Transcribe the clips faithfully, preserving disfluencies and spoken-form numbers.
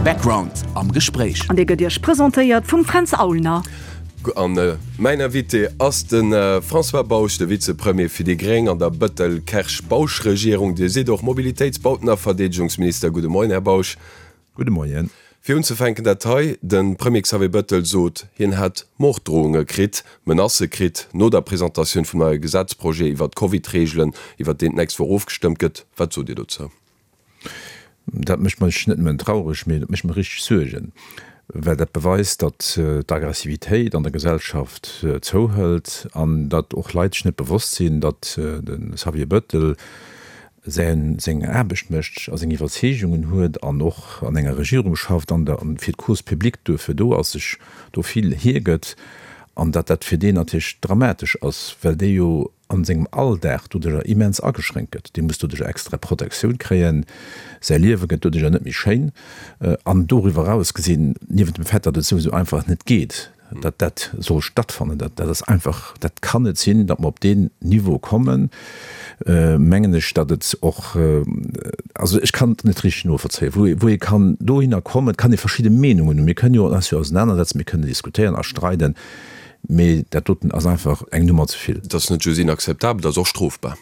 Background am Gespréich. An dee gëtt Iech presentéiert vum Fränz Aulner. An mäin Invité ass de François Bausch, de Vizepremier fir déi gréng an der Bettel-Kersch-Bausch-Regierung. Dir sidd och Mobilitéits-, Bauten a Verdeedegungsminister. Gudde Moien, Här Bausch. Gudde Moien. Fir unzefänken dat hei, De Premier Xavier Bettel sot, hien hätt Morddrohunge kritt, Menacë kritt no der Presentatioun vum neie Gesetzprojet iwwer d'Covid-Reegelen, iwwer deen d'nächst Woch ofgestëmmt gëtt. Wat sot Dir dozou? Dat mécht mech net nëmmen traureg, mee dat mécht mer richteg Suergen, well dat beweist, datt d'Aggressivitéit an der Gesellschaft zouhëlt an datt och Leit sech net bewosst sinn, datt de Xavier Bettel säin, seng Aarbecht mécht a seng Iwwerzeegungen huet an och an enger Regierung schafft an der, fir d'Cause publique duerfir do ass, sech do vill hiergëtt an datt dat fir deen natierlech dramatesch ass, well dee jo a sengem Alldag doduerjer immens ageschränkt gëtt. Dee muss doduerjer extra Protektioun kréien, säi Liewe gëtt doduerjer net méi schéin an doriwwer eraus gesinn, niewent dem Fait, datt et souwisou einfach net geet, datt dat soll stattfannen, dat dat ass einfach, dat kann net sinn, datt mer op deen Niveau kommen, mengen ech, datt et och, also ech kann et net richteg novollzéien, wou ee wou ee kann dohinner kommen. Et kann ee verschidde Meenungen hunn, mir kënnen jo eis jo ausenanersetzen, mir kënnen diskutéieren a streiden, mee dat doten ass einfach eng Nummer ze vill. Et ass net just inakzeptabel, et ass och strofbar.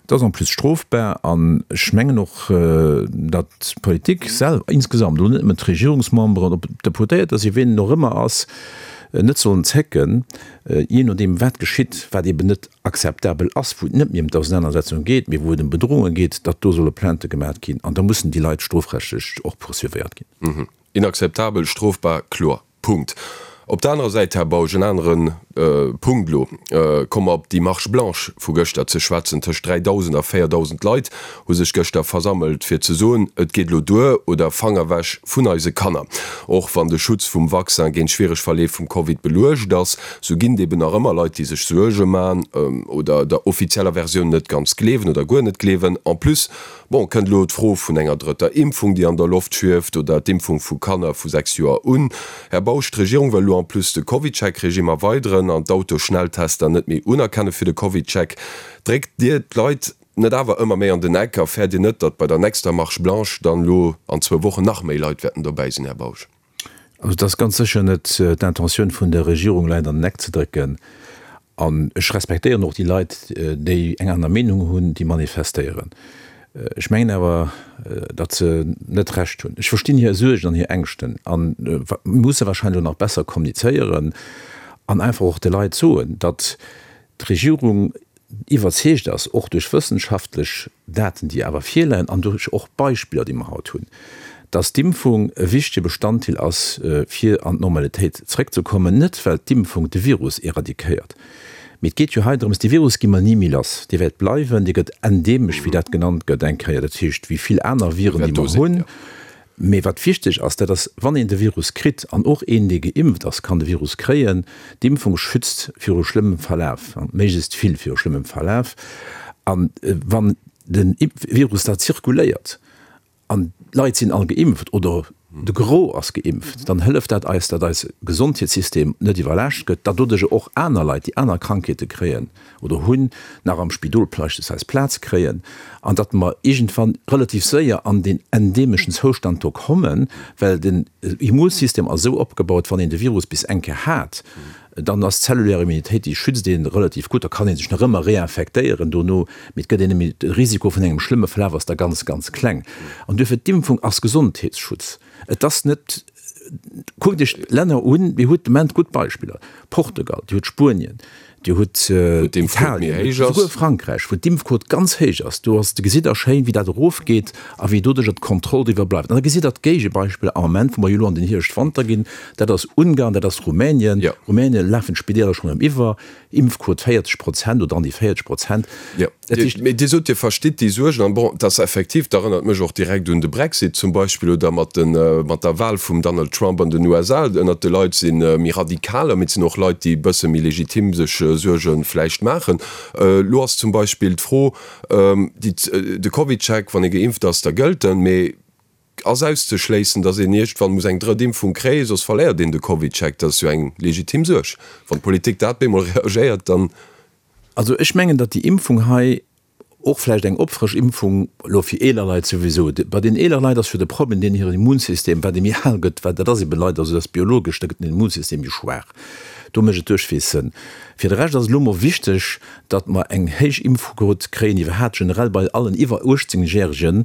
Et ass en plus strofbar an ech mengen och, datt d'Politik selwer insgesamt, elo net nëmmen d'Regierungsmemberen, ob et Deputéierter sinn, wien et och ëmmer ass, net sollen zécken, jee nodeem wat geschitt, wat eeben net akzeptabel ass, wou et net méi ëm d'Ausenanersetzung geet, mee wou et ëm Bedrohunge geet, datt do solle Plaintë gemaat ginn an da mussen déi Leit strofrechtlech och poursuivéiert ginn. Inakzeptabel, strofbar, kloer. Punkt. Op der anerer Säit, Här Bausch, en anere Punkt elo, komme mer op déi Marche blanche vu gëschter ze schwätzen. Tëscht dräidausend a véierdausend Leit hu sech gëschter versammelt, fir ze soen, Et geet elo duer oder Fang ewech vun eise Kanner. Och wann de Schutz vum Vaccin géint schwiereg Verleef vum Covid beluecht ass, sou ginn et eben nach ëmmer Leit, déi sech Suerge man oder der offizieller Versioun net ganz gleewen oder guer net gleewen. En plus, bon, kënnt elo d'Fro vun enger drëtter Impfung, déi an der Loft schwieft, oder d'Impfung vu Kanner vu sechs Joer un. Här Bausch, d'Regierung wëll elo en plus de CovidCheck-Regime erweideren an d'Autoschnelltester net méi unerkenne fir de CovidCheck. Dréckt Dir d'Leit net awer ëmmer méi an den Eck a fäert Dir net, datt bei der nächster Marche blanche dann elo an zwou Wochen nach méi Leit wäerten dobäi sinn, Här Bausch? Also et ass ganz sécher net d'Intentioun vun der Regierung, Leit an den Eck ze drécken. An ech respektéieren och déi Leit, déi eng aner Meenung hunn, déi manifestéieren. Ech mengen awer, datt se net Recht hunn. Ech verstinn hir Suergen an hir Ängschten a mir musse wahrscheinlech och nach besser kommunizéieren an einfach och de Leit soen, datt d'Regierung iwwerzeegt ass, och duerch wëssenschaftlech Daten, déi awer virleien an duerch och Beispiller, déi mer haut hunn, datt d'Impfung e wichtege Bestanddeel ass, fir an d'Normalitéit zréckzekommen, net well d'Impfung de Virus éradiquéiert, mee et geet jo hei drëms, dee Virus gi mer ni méi lass, dee wäert bleiwen, dee gëtt endemesch, wéi dat genannt gëtt eng Kéier, dat heescht wéi vill aner Viren, déi mer hunn. Mee wat wichteg ass, dat ass, wann een de Virus kritt, an och een, dee geimpft ass, kann de Virus kréien, d'Impfung schützt viru schlëmmem Verlaf, méiglechst vill viru schlëmmem Verlaf. A wann de Virus da zirkuléiert an d'Leit sinn all geimpft oder de Gros ass geimpft, dann hëlleft dat eis, datt eise Gesondheetssystem net iwwerlaascht gëtt, datt doduercher och aner Leit, déi aner Krankheete kréien oder hunn, nach am Spidol beispillsweis Plaz kréien an datt mer iergendwann relativ séier an deen endemeschen Zoustand do kommen, well den Immunsystem ass esou opgebaut, wann een de Virus bis eng Kéier hat, dann ass d'zellulär Immunitéit, déi schützt ee relativ gutt, da kann ee sech nach ëmmer reinfektéieren dono, mee et gëtt een net méi, de Risiko vun engem schlëmme Verlaf ass da ganz, ganz kleng. An duerfir, d'Impfung ass Gesondheetsschutz. Et ass net, kuckt Iech d'Länner un, Dir hutt de Moment gutt Beispiller, Portugal, Dir hutt Spuenien, Dir hutt Italien, souguer Frankräich, wou d'Impfquot ganz héich ass. Do ass, gesitt Der schéin, wéi dat erofgeet a wéi doduercher d'Kontroll driwwer bleift. An da gesitt Der d'Géigebeispiller am Ament, wou mer jo elo an den Hierscht-Wanter ginn, dat ass Ungarn, dat ass Rumänien. Rumänien lafen d'Spideeler schonn erëm iwwer, Impfquot véierzeg Prozent oder an déi véierzeg Prozent. Jo, mee Dir sot, Dir verstitt déi Suergen. An bon, et ass effektiv, dat erënnert mech och direkt un de Brexit zum Beispill oder mat de, mat der Wahl vum Donald Trump an den U S A. Ënnert de Leit si méi Radikaler, mee et sinn och Leit, déi e bësse méi legitim sech Suerge vläicht maachen. Elo ass zum Beispill d'Fro, déi, de CovidCheck, wann ee geimpft ass, da gëllt en, mee ass auszeschléissen, datt een iergendwann muss eng drëtt Impfung kréien, soss verléiert een de CovidCheck. Dat ass jo eng legitim Suerg. Wann d'Politik dat bemol reagéiert, dann. Also ech mengen, datt déi Impfung hei Och vläicht eng Opfrëschimpfung elo fir eeler Leit souwisou. Bei den eeler Leit ass jo de Problem deen hiren Immunsystem, wat ee méi al gëtt, wat dat ass ebe leider esou, dat ass biologesch, da gëtt den Immunsystem méi schwaach. Do mécht et duerchwees Sënn. Fir de Rescht ass et elo mol wichteg, datt mer eng héich Impfquot kréien, iwwerhaapt generell bei allen iwwer uechtzéng Järegen,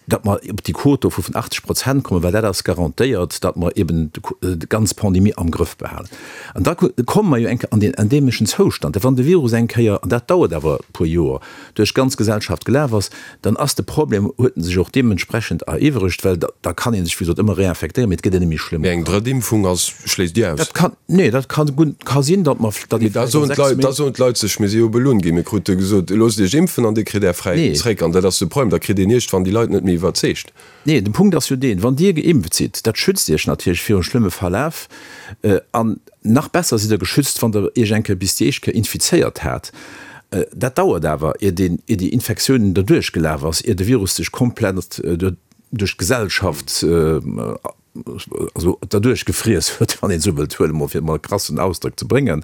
datt mer op déi Quot do vu vun achtzeg Prozent kommen, well dat ass garantéiert, datt mer eben déi ganz Pandemie am Grëff behalen. An da komme mer jo eng Kéier an deen endemeschen Zoustand, wann de Virus eng Kéier, an dat dauert awer e puer Joer, duerch d'ganz Gesellschaft gelaf ass, dann ass de Problem, huet en sech och deementsprechend eriwweregt, well da kann ee sech, wéi gesot, ëmmer réinfektéieren, mee et gëtt en net méi schlëmm. Mee eng drëtt Impfung ass, schléisst Dir aus? Dat kann, nee, dat kann, ka sinn, datt mer, datt ee vläicht a sechs Méint. Da soen d'Leit sech, mir si jo belunn ginn, mir krute gesot, loosst Iech impfen an Dir kritt Är Fräiheet zréck. An dat ass de Problem, da kritt een iergendwann déi Leit net méi iwwerzeegt. Nee, de Punkt ass jo deen, wann Dir geimpft sidd, dat schützt Iech natierlech virum schlëmme Verlaf. An nach besser sidd Der geschützt, wann Der Iech eng Kéier bis déi éischt Kéier infizéiert hat. Dat dauert awer, ier deen, ier déi Infektioun derduerch gelaf ass, ier de Virus sech komplett duerch d'Gesellschaft, also derduerch gefriess huet, wann een esou wëllt huelen, emol fir emol e krassen Ausdrock ze bréngen.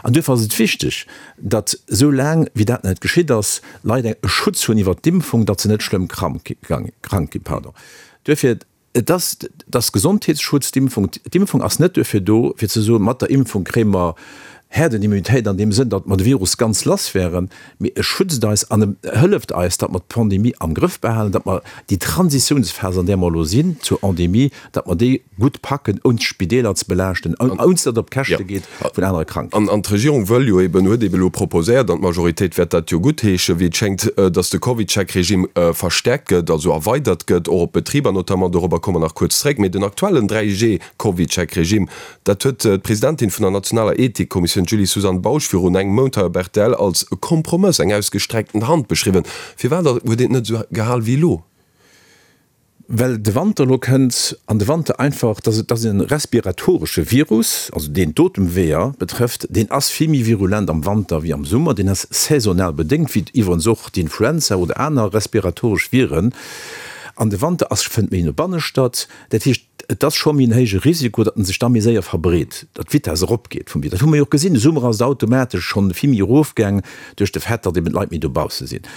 An duerfir ass et wichteg, datt esou laang wéi dat net geschitt ass, Leit e Schutz hunn iwwert d'Impfung, datt se net schlëmm krank ginn. Pardon. Duerfir, et ass, et ass Gesondheetsschutz, d'Impfung. D'Impfung ass net duerfir do, fir ze soen, mat der Impfung kréie mer Herdenimmunitéit an deem Sënn, datt mer de Virus ganz lass wären, mee e schützt eis an e hëlleft eis, datt mer d'Pandemie am Grëff behalen, datt mer déi Transitiounsphas, an där mer elo sinn, zur Endemie, datt mer déi gutt packen, ouni d'Spideeler ze belaaschten, ouni datt et op d'Käschte geet vun anere Krankheeten. An d'Regierung wëll jo eben, huet eben elo proposéiert, an d'Majoritéit wäert dat jo guttheeschen, wéi et schéngt, datt de CovidCheck-Regime verstärkt gëtt, also erweidert gëtt, och op d'Betriber notamment. Dorobber komme mer nach kuerz zréck. Mee den aktuellen dräi G-CovidCheck-Regime, Dat huet d'Presidentin vun der nationaler Ethikkommissioun, d'Julie-Suzanne Bausch, virun engem Mount hei op rtl als e Kompromëss, eng ausgestreckten Hand beschriwwen. Firwat huet een et net esou gehal wéi elo? Well de Wanter elo kënnt an de Wanter einfach, dat ass e respiratoresche Virus, also deen d'Otemweeër betrëfft, deen ass vill méi virulent am Wanter wéi am Summer, deen ass saisonal bedéngt, wéi iwwerens och d'Influenza oder aner respiratoresch Viren. An de Wanter ass, fënnt méi no banne statt. Dat heescht, et ass scho méi en héije Risiko, datt en sech da méi séier verbreet, datt d'Vitess eropgeet vum Virus. Dat hu mer jo och gesinn, de Summer ass et automatesch schonn vill méi erofgaang duerch de Fait, datt eben d'Leit méi dobausse sinn.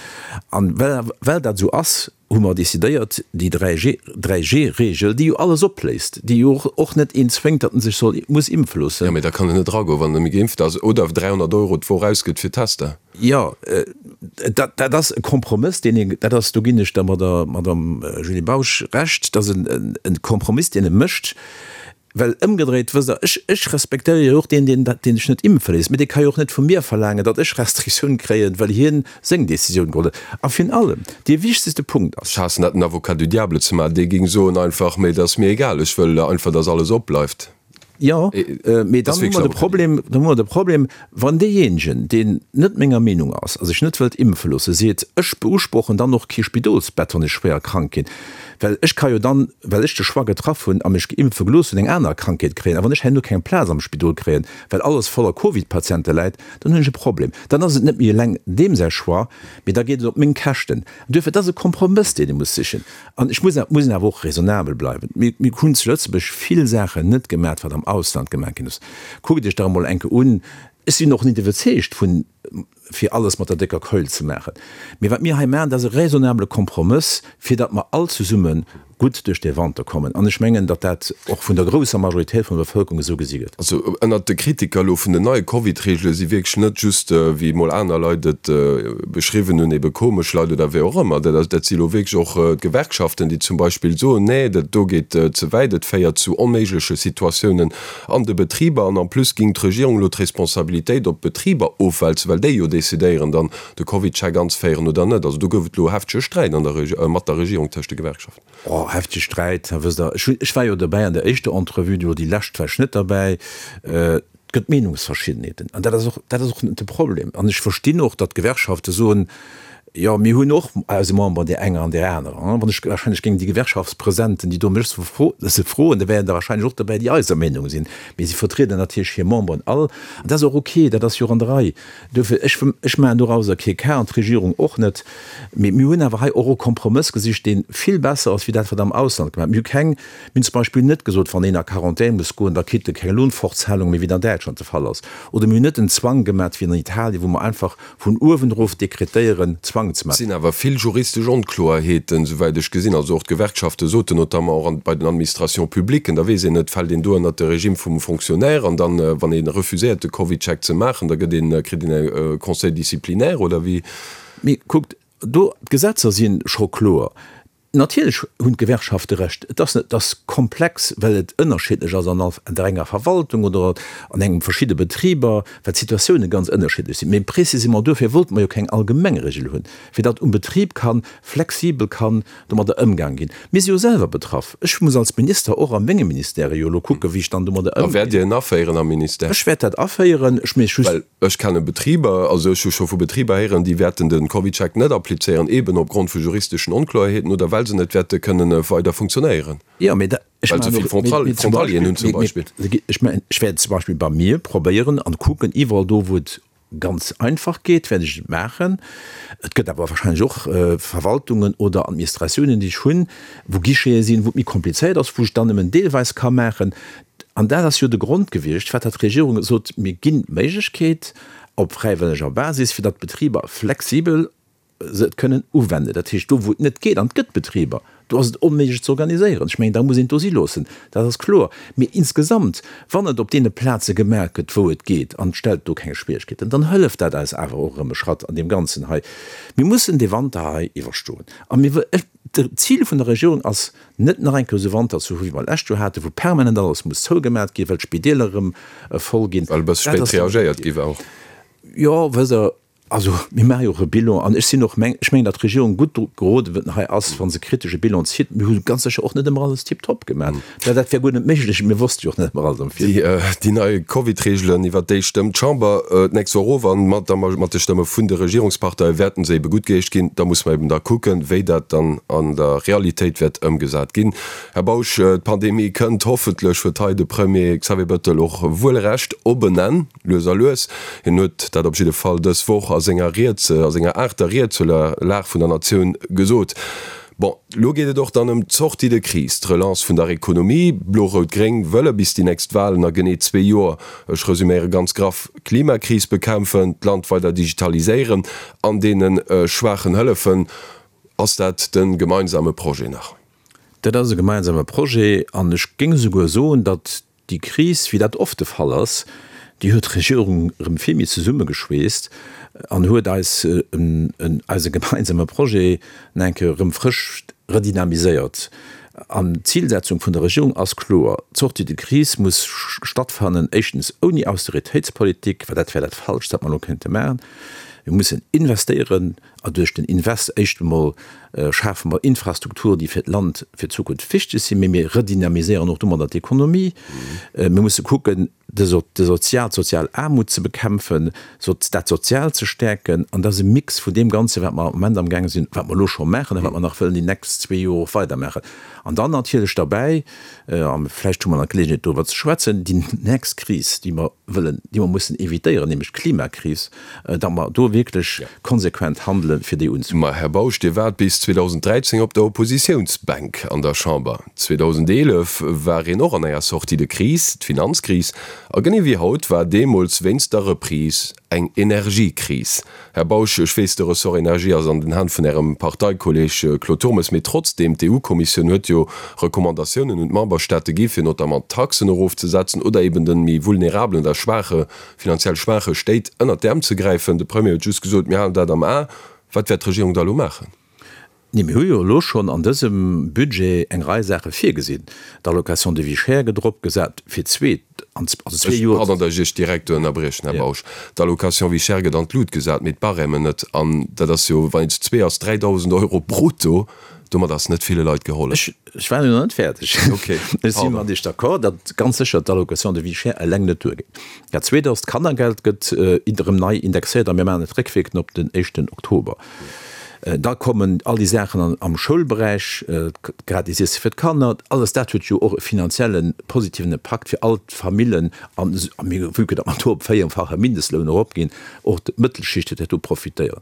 An well, well dat esou ass, hu mer decidéiert, déi dräi-G-Reegel, déi jo alles opléist, déi jo och net een zwéngt, datt en sech soll, muss impfe loossen. Jo, mee da kann en net eragoen, wann en net méi geimpft ass oder dräihonnert Euro d'Woch ausgëtt fir Tester. Jo, dat, dat ass e Kompromëss, deen een, dat ass, do ginn ech der Madame Julie Bausch Recht, dat ass e Kompromiss, deen e mécht, well ëmgedréit, wësst Der, ech, ech respektéiere jo och deen, deen, deen sech net impfe léisst, mee dee ka jo och net vu mir verlaangen, datt ech Restriktioun kréien, well hien seng Décisioun geholl huet. A virun allem, dee wichtegste Punkt ass. Ech haassen dat, den Avocat du diable ze maachen, dee géing soen einfach, mee et ass mir egal, ech wëll einfach, datt alles opbleift. Jo, mee dann hu mer de Problem, dann hu mer de Problem, wann deejéinegen, deen net menger Meenung ass a sech net wëllt impfe loosse, seet, ech beusprochen dann och kee Spidolsbett, wann ech schwéier krank ginn, well ech ka jo dann, well ech de Choix getraff hunn a mech geimpfe gelooss hunn, eng aner Krankheet kréien. A wann ech herno keng Plaz am Spidol kréien, well alles voller Covid-Patiente läit, dann hunn ech e Problem. Dann ass et net méi eleng deem säi Choix, mee da geet et op meng Käschten. An duerfir, et ass e Kompromëss, deen ee muss sichen. An ech muss, muss awer och raisonnabel bleiwen. Mir, mir hunn zu Lëtzebuerg vill Saachen net gemaat, wat am Ausland gemaat ginn ass. Kuckt Iech dach emol eng Kéier un. Ech sinn och net iwwerzeegt vun, fir alles mat der décker Keul ze maachen. Mee wat mir hei maachen, dat ass e raisonnabele Kompromëss, fir datt mer all zesumme gutt duerch dee Wanter kommen. An ech mengen, datt dat och vun der grousser Majoritéit vun der Bevëlkerung esou gesi gëtt. Also ënnert de Kritiker elo vun den neie Covid-Reegele si wierklech net just, wéi emol aner Leit et beschriwwen hunn, ebe komesch Leit oder wéi och ëmmer. Dat dat si elo wierklech och d'Gewerkschaften, déi zum Beispill soen, nee, dat do geet ze wäit, et féiert zu onméigleche Situatiounen an de Betriber. An en plus géing d'Regierung elo d'Responsabilitéit op d'Betriber ofwälzen, well déi jo decidéieren dann de CovidCheck anzeféieren oder net. Also do gouf et elo heftege Sträit an der mat der Regierung tëscht de Gewerkschaften. Oh, heftege Sträit, wësst Der, ech hunn, ech war jo derbäi an der éischter Entrevue, do déi lescht war ech net derbäi. Et gëtt Meenungsverschiddenheeten an dat ass och, dat ass och net de Problem. An ech verstinn och, datt d'Gewerkschafte soen, jo, mir hunn och eise Member, där enger an där anerer. Wann ech wahrscheinlech géing déi Gewerkschaftspresidenten, déi do mech se froen, da wären der wahrscheinlech och derbäi, déi eiser Meenung sinn. Mee si vertrieden natierlech hir Memberen all. An dat ass och ok, dat ass jo och an der Rei. Duerfir, ech, ech maachen dorauser kee Cas an d'Regierung och net. Mee mir hunn awer hei och e Kompromëss gesicht, dee vill besser ass wéi dat, wat am Ausland gemaach gëtt. Mir hu keng, mir hunn zum Beispill net gesot, wann een a Quarantän muss goen, da kritt e keng Lohnfortzahlung méi, wéi et an Däitschland de Fall ass. Oder mir hunn net en Zwang gemaach wéi an Italien, wou mer einfach vun uewen erof dekretéieren, blank ze Et maachen. sinn awer vill juristesch Onkloerheeten, souwäit ech gesinn. Also och d'Gewerkschafte soten, notamment och bei den Administrations publiques, da weess een net, fält een do ënnert de Regime vum Fonctionnaire an dann, wann ee refuséiert de CovidCheck ze maachen, da gëtt een, kritt een e Conseil disciplinaire oder wéi? Mee kuckt, do, d'Gesetzer si scho kloer. Natierlech hunn d'Gewerkschafte Recht. Et ass net, et ass komplex, well et ënnerschiddlech ass an all, an der enger Verwaltung oder an engem verschidde Betriber, well d'Situatioune ganz ënnerschiddlech sinn. Mee précisément duerfir wollte mer jo keng allgemeng Regel hunn, fir datt um Betrib ka flexibel kann domadder ëmgaang ginn. Mir si jo selwer betraff. Ech muss als Minister och a mengem Ministère jo elo kucken, wéi ech dann domadder A wäert ëmginn. Dir en aféieren am Ministère? Ech wäert dat aféieren. Ech mee just. Well ech kenne Betriber, also ech hu scho vu Betriber héieren, déi wäerten de CovidCheck net applizéieren, eeben opgrond vu juristeschen Onkloerheeten oder well se net wäerte kënnen weider funktionéieren. Jo, mee da, ech Well se maachen vill och, mee, Frontal, mee zum Frontalieren Beispill, hunn zum mee, mee, Beispill. ech mengen, ech wäert zum Beispill bei mir probéieren an kucken, iwwerall do, wou et ganz einfach geet, wäert ech et maachen. Et gëtt awer wahrscheinlech och Verwaltungen oder Administratiounen, déi ech hunn, wou Guichete sinn, wou et méi komplizéiert ass, wou ech dann nëmmen deelweis ka maachen. An dat ass jo de Grond gewiescht, firwat dat d'Regierung sot, Mir ginn d'Méiglechkeet op fräiwëlleger Basis, fir datt d'Betriber flexibel se et kënnen uwenden. Dat heescht, do wou et net geet, an et gëtt Betriber, do ass et onméiglech ze organiséieren, ech mengen, da muss een et do si loossen, dat ass kloer. Mee insgesamt, wann et op deene Plaze gemaach gëtt, wou et geet, an et stellt do keng Schwierigkeeten, dann hëlleft dat eis awer och erëm e Schratt an deem Ganzen hei. Mir mussen dee Wanter hei iwwerstoen. A mir wë, ech, d'Zil vun der Regierung ass net, nach eng Kéier esou Wanter ze hu wéi mer lescht Joer haten, wou permanent alles muss zougemat ginn, well d'Spideeler erëm voll ginn. Well e bësse Dat spéit ass net reagéiert gi war och. Jo, wësst Der, also mir maache jo och e Bilan an ech sinn och meng, ech mengen, datt d'Regierung gutt dru geroden hei ass, wa se kritesch e Bilan zitt. Mir hu ganz sécher och net ëmmer alles tiptop gemaach. Well dat wär guer net méiglech, mir wosste jo och net ëmmer alles am Virfeld. Déi, déi nei Covid-Reegelen, iwwert déi stëmmt d'Chamber d'nächst Woch of an mat der, mat de Stëmme vun de Regierungsparteie wäerten se ebe guttgeheescht ginn. Da muss mer eben da kucken, wéi dat dann an der Realitéit wäert ëmgesat ginn. Här Bausch, d'Pandemie kënnt hoffentlech, huet hei de Premier Xavier Bettel och wuel Recht, op en Enn, lues a lues. Hien huet dat op jidde Fall dës Woch a senger Ried, a senger aachter Ried zur Lag vun der Natioun gesot. Bon, elo geet et och dann ëm d'Sortie de crise, d'Relance vun der Ekonomie. Blo-Rout-Gréng wëlle bis déi nächst Walen a genee zwee Joer, ech resüméiere ganz graff, d'Klimakris bekämpfen, d'Land weider digitaliséieren an deene Schwaachen hëllefen. Ass dat de gemeinsame Projet nach? Dat ass e gemeinsame Projet an ech géing esouguer soen, datt déi Kris, wéi dat oft de Fall ass, déi huet d'Regierung erëm vill méi zesummegeschweesst an huet eis eise gemeinsame Projet nach eng Kéier erëm frësch redynamiséiert. An d'Zilsetzung vun der Regierung ass kloer, D'Sortie de crise muss stattfannen, éischtens ouni Austeritéitspolitik, well dat wär dat Falscht, wat mer elo kéinte maachen. Mir mussen investéieren a duerch den Invest éischt emol schafe mer Infrastrukturen, déi fir d'Land fir d'Zukunft wichteg sinn, mee mir redynamiséieren och domadder d'Ekonomie. Mir musse kucken, de sozial, d'sozial Aarmut ze bekämpfen, dat Soziaalt ze stäerken. An dat ass e Mix vun deem Ganzen, wat mer am Moment amgaange sinn, wat mer elo scho maachen a wat mer nach wëllen déi nächst zwee Joer och weidermaachen. An dann natierlech derbäi, a vläicht hu mer nach d'Geleeënheet doriwwer ze schwätzen, déi nächst Kris, déi mer wëllen, déi mer mussen évitéieren, nämlech d'Klimakris, datt mer do wierklech konsequent handelen, fir déi unzegoen. Ma Här Bausch, Dir waart bis zweedausend dräizéng op der Oppositiounsbänk an der Chamber. zweedausend eelef war een och an enger Sortie de crise, d'Finanzkris. A genee wéi haut war deemools wéinst der Reprise eng Energiekris. Här Bausch, ech weess, de Ressort Energie ass an den Hänn vun Ärem Parteikolleeg Claude Turmes, mee trotzdeem, d'EU-Kommissioun huet jo Recommandatiounen un d'Memberstaate gi fir notamment d'Taxen erofzesetzen oder eben de méi vulnerabelen oder schwaache, finanziell schwaache Stéit ënnert d'Äerm ze gräifen. De Premier huet just gesot, mir halen dat am A. Wat wäert d'Regierung da elo maachen? Nee, mir hu jo elo schonn an dësem Budget eng Rei Saache virgesinn. D'Allocation de vie chère gëtt eropgesat fir d'zweet, an also zwee Ech, Joer. pardon, datt ech Iech direkt do ënnerbriechen, Här Ja. Bausch. D'Allocation vie chère gëtt an d'Lut gesat, mee d'Barèmen net. An dat ass jo, wann een zu zwee ass, dräidausend Euro brutto. Domat ass net ville Leit gehollef. Ech, ech war jo nach net fäerdeg. Okay, Ech si pardon. mat Iech d'accord, datt ganz sécher d'Allocation de vie chère eleng net duergeet. Dat Zweet ass, d'Kannergeld gëtt erëm nei indexéiert a mir maachen et réckwierkend op den éischten Oktober. Da kommen all déi Saachen am Schoulberäich, d'gratis Iesse fir d'Kanner, alles dat huet jo och e finanzielle positiven Impakt fir all d'Famillen. An mir, vue que datt mer do op véierfache Mindestloun eropginn, och d'Mëttelschicht wäert do profitéieren.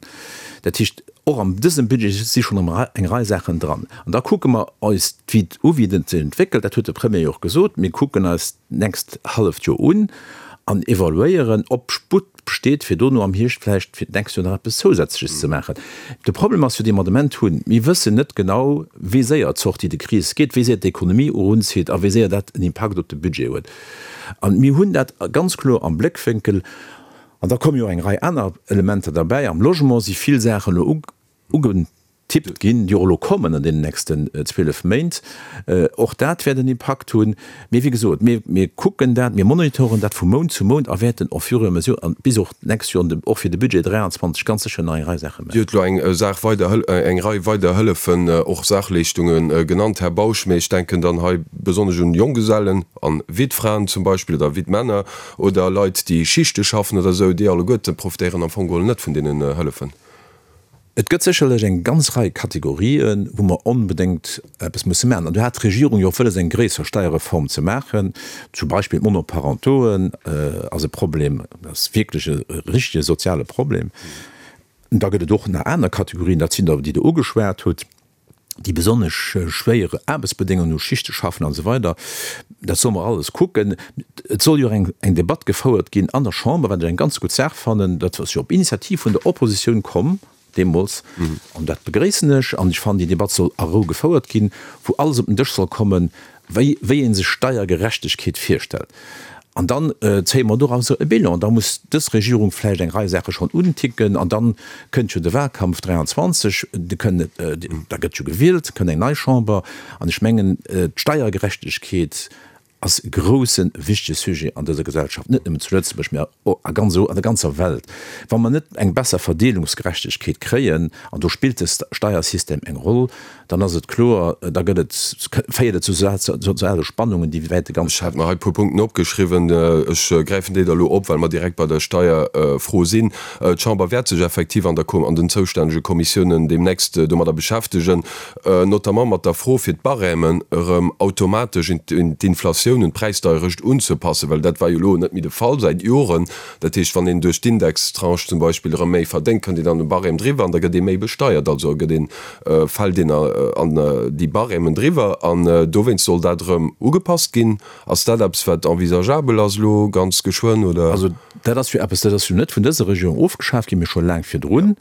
Dat heescht, och an dësem Budget si schonn eng Rei Saachen dran. An da kucke mer eis d'Vit u wéi et sech entwéckelt, dat huet de Premier jo och gesot, mir kucken eis d'nächst halleft Joer un. an evaluéieren, ob Sputt besteet, fir dono am Hierscht vläicht fir d'nächst Joer nach eppes Zousätzleches ze maachen. De Problem ass jo, dee mer de Moment hunn, Mir wëssen net genau, wéi séier d'Sortie de crise geet, wéi séier d'Ekonomie erunzitt a wéi séier dat en Impakt op de Budget huet. A mir hunn dat ganz kloer am Bléckwénkel. An da komme jo eng Rei aner Elementer derbäi. Am Logement si vill Saachen elo ugetippt ginn, déi och elo kommen an deenen nächsten zwielef Méint. Och dat wäert en Impakt hunn. Mee wéi gesot, mir, mir kucken dat, mir monitoren dat vu Mount zu Mount a wäerten au fur et à mesure an bis och d'nächst Joer, och fir de Budget dräianzwanzeg ganz sécher nach eng Rei Saache maachen. Dir hutt elo eng Saach weider, eng Rei weider Hëllefen, och Saachleeschtungen genannt, Här Bausch. Mee ech denken dann hei besonnesch un Jonggesellen an Wittfraen zum Beispill oder Wittmänner oder Leit, déi Schichte schaffen oder esou, déi alleguerte profitéieren am Fong geholl net vun deenen Hëllefen. Et gëtt sécherlech eng ganz Rei Kategorien, wou mer onbedéngt eppes musse maachen. An do hat d'Regierung jo och wëlles, eng gréisser Steierreform ze maachen. Zum Beispill d'Monoparentoen ass e Problem, dat ass wierklech e richtege soziale Problem. Da gëtt et och nach aner Kategorien, dat sinn der, déi Der ugeschwat hutt, déi besonnesch schwéier Aarbechtsbedéngungen hu, Schichte schaffen an esou weider. Dat solle mer alles kucken. Et soll jo och eng, eng Debatt gefouert ginn an der Chamber, wat ech eng ganz gutt Saach fannen. Dat ass jo op Initiativ vun der Oppositioun komm deemools, an dat begréissen ech. An ech fannen, déi Debatt soll a Rou gefouert ginn, wou alles op den Dësch soll kommen, wéi, wéi ee sech Steiergerechtegkeet virstellt. An dann zéie mer dorauser e Bilan. Da muss dës Regierung vläicht eng Rei Saache schonn unticken. An dann kënnt jo de Wahlkampf dräianzwanzeg, de kënn, da gëtt jo gewielt, kënnt eng nei Chamber. An ech mengen, d'Steiergerechtegkeet ass e groussen, wichtege Sujet an dëser Gesellschaft, net nëmmen zu Lëtzebuerg, mä a ganz, an der ganzer Welt. Wa mer net eng besser Verdeelungsgerechtegkeet kréien, an do spillt de Steiersystem eng Roll, dann ass et kloer, da gëtt et, féiert et zu soziale Spannungen, déi wäerte ganz. Ech hat mer hei e puer Punkten opgeschriwwen. Ech gräifen déi da elo op, well mer direkt bei der Steierfro sinn. D'Chamber wäert sech effektiv an der, an den zoustännege Kommissiounen deemnächst domadder beschäftegen, notamment mat der Fro, fir d'Barèmen erëm automatesch un d'Inflatioun, un d'Präisdeierecht unzepassen, well dat war jo elo net méi de Fall säit Joren. Dat heescht, wann een duerch d'Indextranche zum Beispill erëm méi verdéngt, kënnt een an de Barème driwwer an da gëtt ee méi besteiert. Also gëtt een, fält een an déi Barèmen driwwer an dowéinst soll dat erëm ugepasst ginn. Ass dat eppes, wat envisageabel ass elo ganz geschwënn, oder? Also dat ass jo eppes, dat ass jo net vun dëser Regierung ofgeschaaft ginn, mee scho laang virdrun.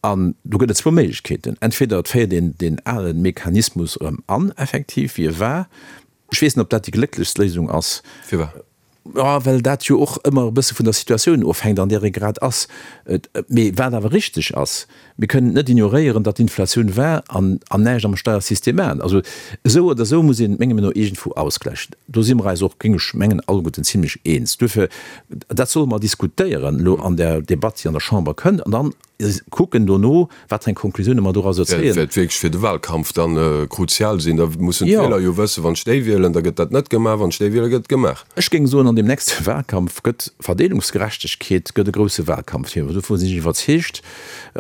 An do gëtt et zwou Méiglechkeeten, Entweder et féiert een deen ale Mechanismus erëm an, effektiv, wéi e war. Ech weess net, ob dat déi glécklechst Léisung ass. Firwat? Jo, well dat jo och ëmmer e bësse vun der Situatioun ofhänkt, an där ee grad ass. Mee wat awer richteg ass, Mir kënnen et net ignoréieren, datt Inflatioun war an an näischt am Steiersystem maachen. Also esou oder esou muss een et menge Meenung no iergendwou ausgläichen. Do si mer eis och, géing ech mengen, alleguerten zimlech eens. Duerfir, dat solle mer diskutéieren elo an där Debatt, déi an der Chamber kënnt, an dann kucken dono, wat fir eng Konklusioune mer dorauser zéien. Wäert wierklech fir de Wahlkampf dann kruzial sinn. Da mussen d'Wieler jo wëssen, wann ech déi wielen, da gëtt dat net gemaach, wann ech déi wielen, gëtt et gemaach. Ech géing soen, an deem nächste Wahlkampf gëtt Verdeelungsgerechtegkeet gëtt e grousse Wahlkampfthema. Dovun sinn ech iwwerzeegt.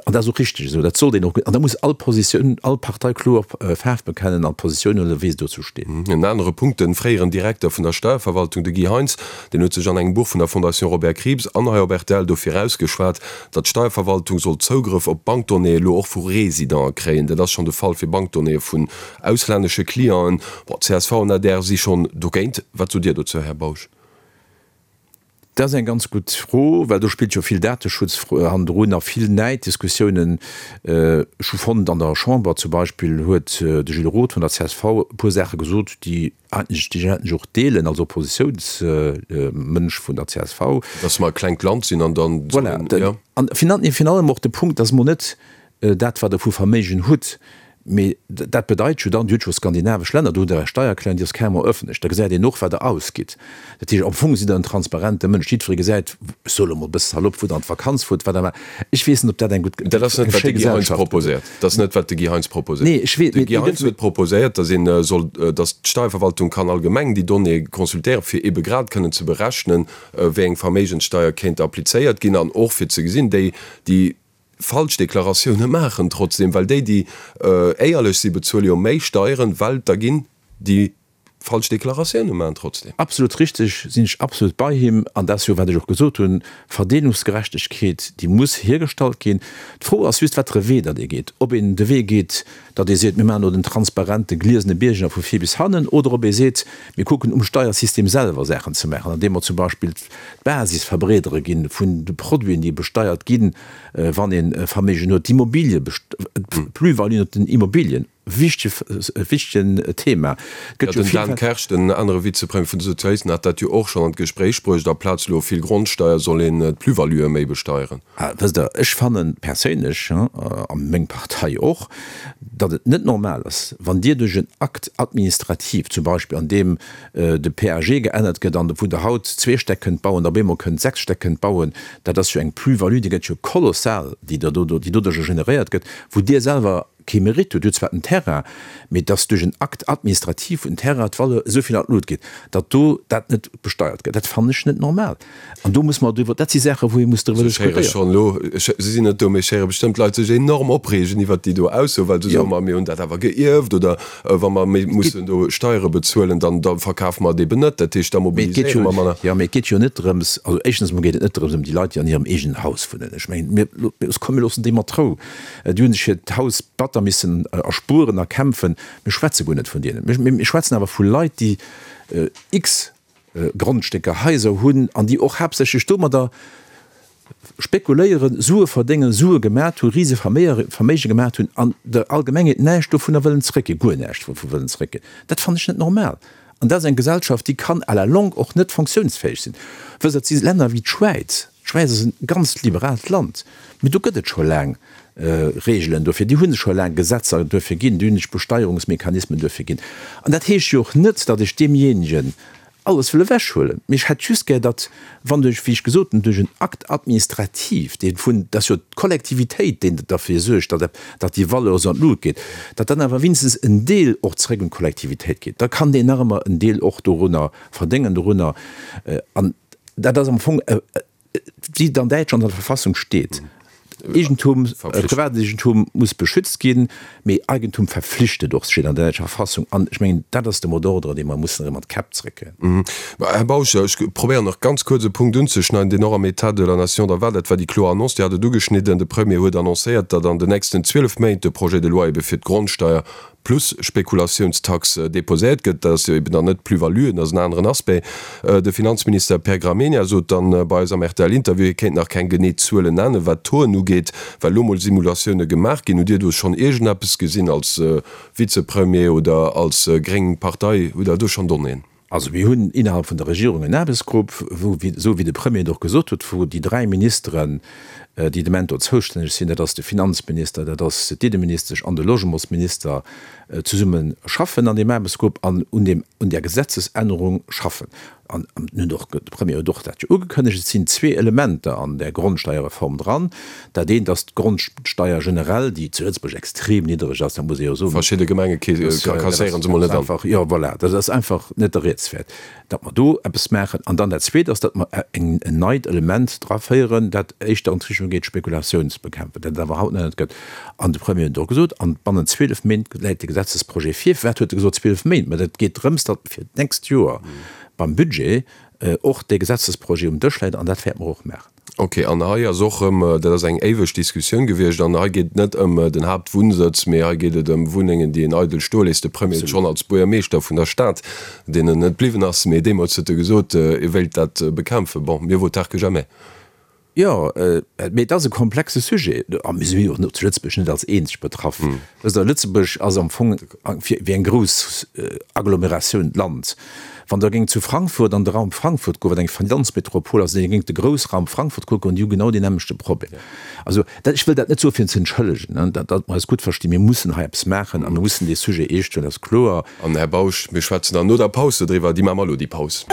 An dat ass och richteg esou. Dat sollt een och. An da muss all Positioun, all Partei kloer Faarf bekennen an Positioun huelen, wéi se dozou steet. En anere Punkt, De fréieren Direkter vun der Steierverwaltung, de Guy Heintz, deen huet sech an engem Buch vun der Fondation Robert Krieps an hei op rtl dofir ausgeschwat, datt d'Steierverwaltung soll Zougrëff op Bankdonnéeë elo och vu Residenten kréien. Dat ass schonn de Fall fir Bankdonnéeë vun auslännesche Clienten. Bon, csv an adr si schonn dogéint. Wat sot Dir dozou, Här Bausch? Dat ass eng ganz gutt Fro, well do spillt jo vill Dateschutz hannendrun a vill Näiddiskussiounen. Ech hu fonnt, an der Chamber zum Beispill huet de Gilles Roth vun der csv e puer Saache gesot, déi eigentlech, déi ech eigentlech och deelen als Oppositiounsmënsch vun der csv. Dass mer e klengt Land sinn an dann. Voilà. An virun allem och de Punkt, dass mer net dat, wat Der vu Verméigen hutt, Mee dat bedeit jo dann, Dir hutt jo skandinavesch Länner, do hutt Der Är Steiererklärung, déi ass carrément ëffentlech, da gesäit een och, wat Der ausgitt. Dat heescht, am Fong sidd Der en transparente Mënsch, jiddweree gesäit, ech soe lo mol e bësse salopp, wou Der an d'Vakanz fuert, wat Der maacht. Ech weess net, ob dat eng gutt, Dat ass eng net, wat schéi de Guy Heintz Gesellschaft gëtt. proposéiert. Dat ass net, wat de Guy Heintz proposéiert. Nee, ech weess, De mee Guy Heintz huet proposéiert, datt een soll, datt d'Steierverwaltung kann allgemeng déi Donnéeë consultéieren, fir ebe grad kënnen ze berechnen, wéi eng Verméigenssteier kéint applizéiert ginn an och fir ze gesinn, déi, déi falsch Deklaratioune maachen trotzdem, well déi, déi éierlech si, bezuele jo méi Steieren, well et der ginn, déi falsch Deklaratioune maachen trotzdem. Absolut richteg, sinn ech absolut bei him. An dat ass jo, wat ech och gesot hunn, Verdeelungsgerechtegkeet, déi muss hiergestallt ginn. D'Fro ass just, wat fir e Wee datt ee geet. Ob een de Wee geet, datt ee seet, mir maachen elo den transparente, gliesene Bierger vu vir bis hannen, oder ob ee seet, mir kucken um Steiersystem selwer Saachen ze maachen, andeem mer zum Beispill d'Basis verbreedere ginn vun de Produiten, déi besteiert ginn, wann ee Verméigen huet, d'Immobilie, d'Plus-valuen op den Immobilien. Wichtege, wichtegen Thema. Gëtt jo den Dan Kersch, den anere Vizepremier vun de Sozialisten, hat dat jo och schonn an d'Gespréich bruecht, aplaz elo vill Grondsteier soll een d'Plus-valuë méi besteieren. Wësst Der, ech fanne perséinlech, a meng Partei och, datt et net normal ass, wann Dir duerch en Acte administratif, zum Beispill an deem de P A G geännert gëtt an wou Der haut zwee Stäck kënnt bauen, op eemol kënnt sechs Stäck kënnt bauen, dat ass jo eng Plus-value, déi gëtt jo kolossal, déi doduercher generéiert gëtt, wou Dir selwer kee Mérite huet, huet zwar den Terrain, mee dass duerch en Acte administratif vun Terrain d'Valeur esou vill an d'Lut geet, datt do dat net besteiert gëtt, dat fannen ech net normal. An do muss mer driwwer, dat si Saachen, wou ee muss driwwer Ech héiere diskutéieren. schonn elo, ech, si sinn net do, mee ech héiere bestëmmt Leit sech enorm opreegen iwwert déi do Ausso, well se soen, ma mir hunn dat awer geierft oder wa mer méi mussen do Steiere bezuelen, dann da verkafe mer et eben net. Dat heescht, da Mee et geet mobiliséiere jo, mer manner. jo, mee et geet jo net drëms, also éischtens emol geet et net drëms ëm déi Leit, déi an hirem eegenen Haus wunnen. Ech mengen, mir, komm mir loossen déi mat Rou. Déi hunn sech hiert Haus batter missen erspueren, erkämpfen. Mir schwätze guer net vun deenen. Mir schwätzen awer vu Leit, déi x Grondstécker, Haiser hunn an déi och haaptsächlech domadder spekuléieren, Sue verdéngen, Sue gemat hunn, rise Verméige gemat hunn an der Allgemengheet näischt dovunner wëllen zréckginn, guer näischt dovu wëllen zréckginn. Dat fannen ech net normal. An dat ass eng Gesellschaft, déi kann à la longue och net funktiounsfäeg sinn. Wësst Der, et si Länner wéi d'Schwäiz, d'Schwäiz ass e ganz liberaalt Land, mee do gëtt et scho laang Reegelen dofir, déi hu scho laang Gesetzer duerfir ginn, déi hunn sech Besteierungsmechanismen duerfir ginn. An dat heescht jo och net, datt ech deemjéinegen alles wëll ewechhuelen, mee ech hätt just gär, datt, wann duerch, wéi ech gesot hunn, duerch en Acte administratif, dee vun, dat ass jo d'Kollektivitéit, deen derfir suergt, datt, datt déi Valeur esou an d'Lut geet, datt dann awer wéinstens en Deel och zréck un d'Kollektivitéit geet. Da kann deen nach ëmmer en Deel och dorunner verdéngen, dorunner. An dat ass am Fong, wéi et an Däitschland an der Verfassung steet, Eegentum, Privateegentum muss beschützt ginn, mee Eigentum verpflichtet och, steet an der däitscher Verfassung. An ech mengen, dat ass de Mot d'ordre, dee mer mussen erëm an d'Käpp zréckkréien. Här Bausch, ech probéieren nach ganz kuerz e Punkt unzeschneiden, deen och am État de la nation da war. Dat war déi kloer Annonce, Dir hat et ugeschnidden, de Premier huet annoncéiert, datt an den nächsten zwielef Méint de Projet de loi ebe fir d'Grondsteuer plus Spekulatiounstax déposéiert gëtt. Dat ass jo eben dann net d'Plus-value, dat ass en aneren Aspect. De Finanzminister Pierre Gramegna sot dann bei eis am R T L-Interview, hie kéint nach keng genee Zuelen nennen, wat d'Tauxen ugeet, well elo mol Simulatioune gemaach ginn. Hutt Dir do schonn iergendeppes gesinn als Vizepremier oder als gréng Partei? Hutt Der do schonn Donnéeën? Also mir hunn innerhalb vun der Regierung en Aarbechtsgrupp, wou, esou wéi de Premier et och gesot huet, wou déi dräi Ministeren, déi de Moment do zoustänneg sinn, dat ass de Finanzminister, dat ass d'Inneministesch an de Logementsminister, zesumme schaffen an deem Aarbechtsgrupp an un deem, un där Gesetzesännerung schaffen. An hunn och, de Premier huet och dat jo ugekënnegt, et sinn zwee Elementer an där Grondsteierreform dran. Dat eent ass d'Grondsteier generell, déi zu Lëtzebuerg extrem niddreg ass, dat muss ee jo soen. Verschidde Gemenge kasséiere se mol net an. Jo, voilà, dat ass einfach net der Rieds wäert, datt mer do eppes maachen. An dann dat Zweet ass, datt mer en neit Element draféieren, dat éischter an d'Richtung geet, Spekulatioun ze bekämpfen, dat et awer haut nach net gëtt. An de Premier huet och gesot, an bannent zwielef Méint läit de Gesetzesprojet vir. Firwat huet e gesot zwielef Méint? Mä dat geet drëms, datt fir d'nächst Joer beim Budget och dee Gesetzesprojet um Dësch läit, an dat wäerte mer och maachen. Ok, an hei ass och erëm, dat ass eng éiweg Diskussioun gewiescht, an hei geet et net ëm den Haaptwunnsëtz, mee hei geet et ëm Wunnengen, déi een eidel stoe léisst. De Premier huet schonn als Buergermeeschter vun der Stad, deen en net bliwwen ass, mee deemools huet e gesot, e wéilt dat bekämpfen. Bon, mieux vaut tard que jamais. Jo, mee et ass e komplexe Sujet. A mir si jo och zu Lëtzebuerg net als eenzeg betraff. Wësst Der, Lëtzebuerg ass am Fong wéi eng grouss Agglomeratioun, Land. Wann Der géingt zu Frankfurt an de Raum Frankfurt goen, wat eng Finanzmetropol ass, an Dir géingt de Groussraum Frankfurt kucken, déi hu genau deen nämmlechte Problem. Also, dat, ech wëll dat net soen, fir en ze entschëllegen, datt mer eis gutt verstinn. Mir mussen hei eppes maachen a mir mussen dee Sujet eescht huelen, dat ass kloer. An, Här Bausch, mir schwätzen dann no der Paus dodriwwer. Déi maache mer elo, déi Paus.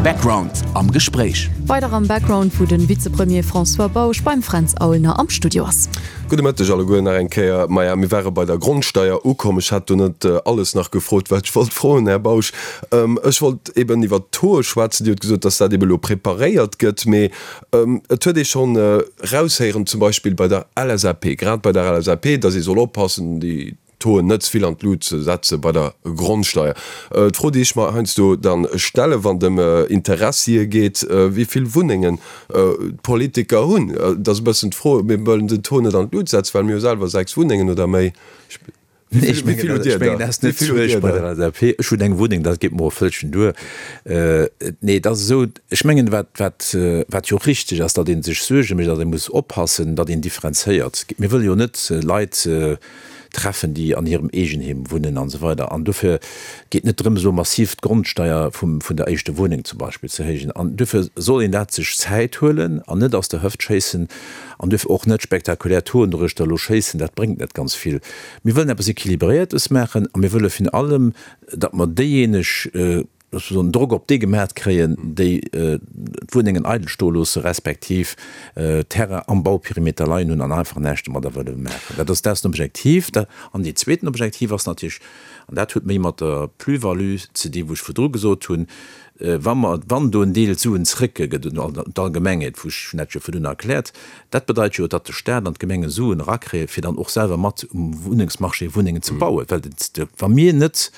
Background am Gespréich. Weider am Background, wou de Vizepremier François Bausch beim Fränz Aulner am Studio ass. Gudde Mëtteg alleguer nach eng Kéier. Maja, mir ware bei der Grondsteier ukomm. Ech hat do net alles nach gefrot, wat ech wollt froen, Här Bausch. Ech wollt eben iwwert d'Tauxe schwätzen. Dir hutt gesot, dass dat eben elo preparéiert gëtt. Mee et huet ee schonn eraushéieren, zum Beispill bei der L S A P, grad bei der L S A P, dass ee soll oppassen, déi d'Tauxen net ze vill an d'Lut ze setze bei der Grondsteier. D'Fro, déi ech mer heiansdo dann stellen, wann et ëm Interessie geet, wéi vill Wunnengen d'Politiker hunn, dat ass e bëssen d'Fro, mir wëllen den Taux net an d'Lut setzen, well mir hu selwer sechs Wunnengen oder méi. Nee, ech mengen, ech mengen, dat ass net d'Suerg bei der L S A P. Ech hunn eng Wunneng, dat geet mer och vëllchen duer. Nee, et ass esou, ech mengen, wat, wat, wat jo och richteg ass, datt ee sech Suerge mécht, datt ee muss oppassen, datt een differenzéiert. Mir wëlle jo net Leit treffen, déi an hirem Eegenheem wunnen an esou weider. An dofir geet net drëms, elo massiv d'Grondsteier vum, vun der éischter Wunneng zum Beispill ze héijen. An dofir soll een dat sech Zäit huelen an net aus der Hëft schéissen an dofir och net spektakulär Toren doruechter elo schéissen, dat bréngt net ganz vill. Mir wëllen eppes Equilibréiertes maachen a mir wëlle virun allem, datt mer déijéineg, soen, Drock op déi gemaat kréien, déi d'Wunnengen eidel stoe loosse respektiv Terrain am Bauperimeter leien hunn an einfach näischt domadder wëlle maachen. Dat ass dat ass den Objektiv. An deen zweeten Objektiv ass natierlech, an dat huet méi mat der Plus-value ze dinn, wou ech virdru gesot hunn, wa mer, wann do en Deel Suen zréckgëtt un d'Allgemengheet, wou ech hunn dat jo virdrun erkläert, dat bedeit jo, datt de Stat an d'Gemenge Suen erakréien, fir dann och selwer mat um Wunnengsmarché Wunnengen ze bauen. Well wa mir net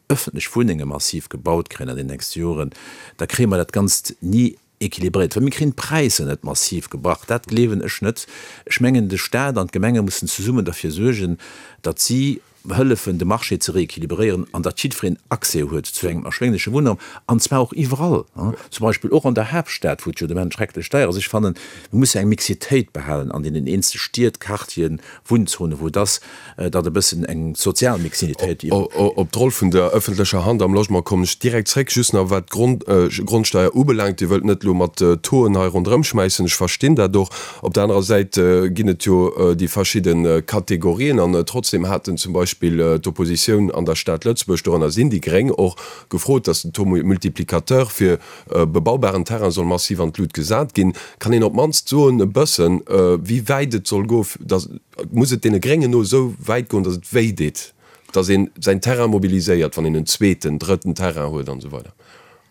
ëffentlech Wunnenge massiv gebaut kréien an den nächste Joren, da kréie mer dat Ganzt ni équilibréiert, well mir kréien d'Präisser net massiv gebrach. Dat gleewen ech net. Ech mengen, de Stat an d'Gemenge mussen zesummen derfir suergen, datt si hëllefen, de Marché ze rééquilibréieren an datt jiddwereen Accès huet zu engem erschwéngleche Wunnraum, an zwar och iwwerall, zum Beispill och an der Haaptstad, wou et jo de Moment schrecklech deier ass. Ech fannen, mir musse eng Mixitéit behalen an deenen eenzele Stied, Quartieren, Wunnzonen, wou et ass, datt e bëssen eng sozial Mixitéit iwwer. Op d'Roll vun der ëffentlecher Hand am Logement kommen ech direkt zréck. Just nach wat d'Grondsteier ubelaangt, Dir wëllt net elo mat Tauxen hei ronderëmschmäissen, ech verstinn dat och. Op der anerer Säit ginn et jo déi verschidde Kategorien an trotzdem haten zum Beispill d'Oppositioun an der Stad Lëtzebuerg, dorënner sinn déi Gréng och, gefrot, datt den Taux multiplicateur fir bebaubaren Terrain soll massiv an d'Lut gesat ginn. Kann een op d'mannst soen e bëssen, wéi wäit et soll goen, datt, muss et deene Gréngen no esou wäit goen, datt et wéi deet, datt een säin Terrain mobiliséiert, wann een en zweeten, drëtten Terrain huet an esou weider?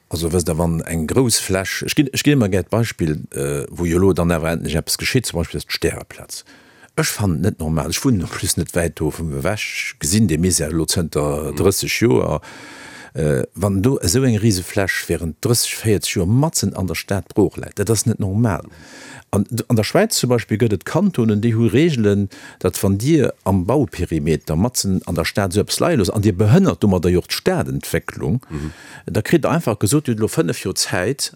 Also wësst Der, wann eng grouss Fläch, ech ginn, ech ginn ëmmer gär d'Beispill, wou jo elo dann awer endlech eppes geschitt, zum Beispill ass d'Stäreplaz. Ech fannen et net normal, ech wunnen en plus net wäit dovun ewech, ech gesinn dee Misär elo zënter drësseg Joer, wann do esou eng Risefläch während drësseg, véierzeg Joer matzen an der Stad brooch läit, dat ass net normal. An an der Schwäiz zum Beispill gëtt et Kantonen, déi hu Regeln, datt wann Dir am Bauperimeter matzen an der Stad esou eppes leie loosst an Dir behënnert domadder jo och d'Stadentwécklung, da kritt Der einfach gesot, Dir hutt elo fënnef Joer Zäit,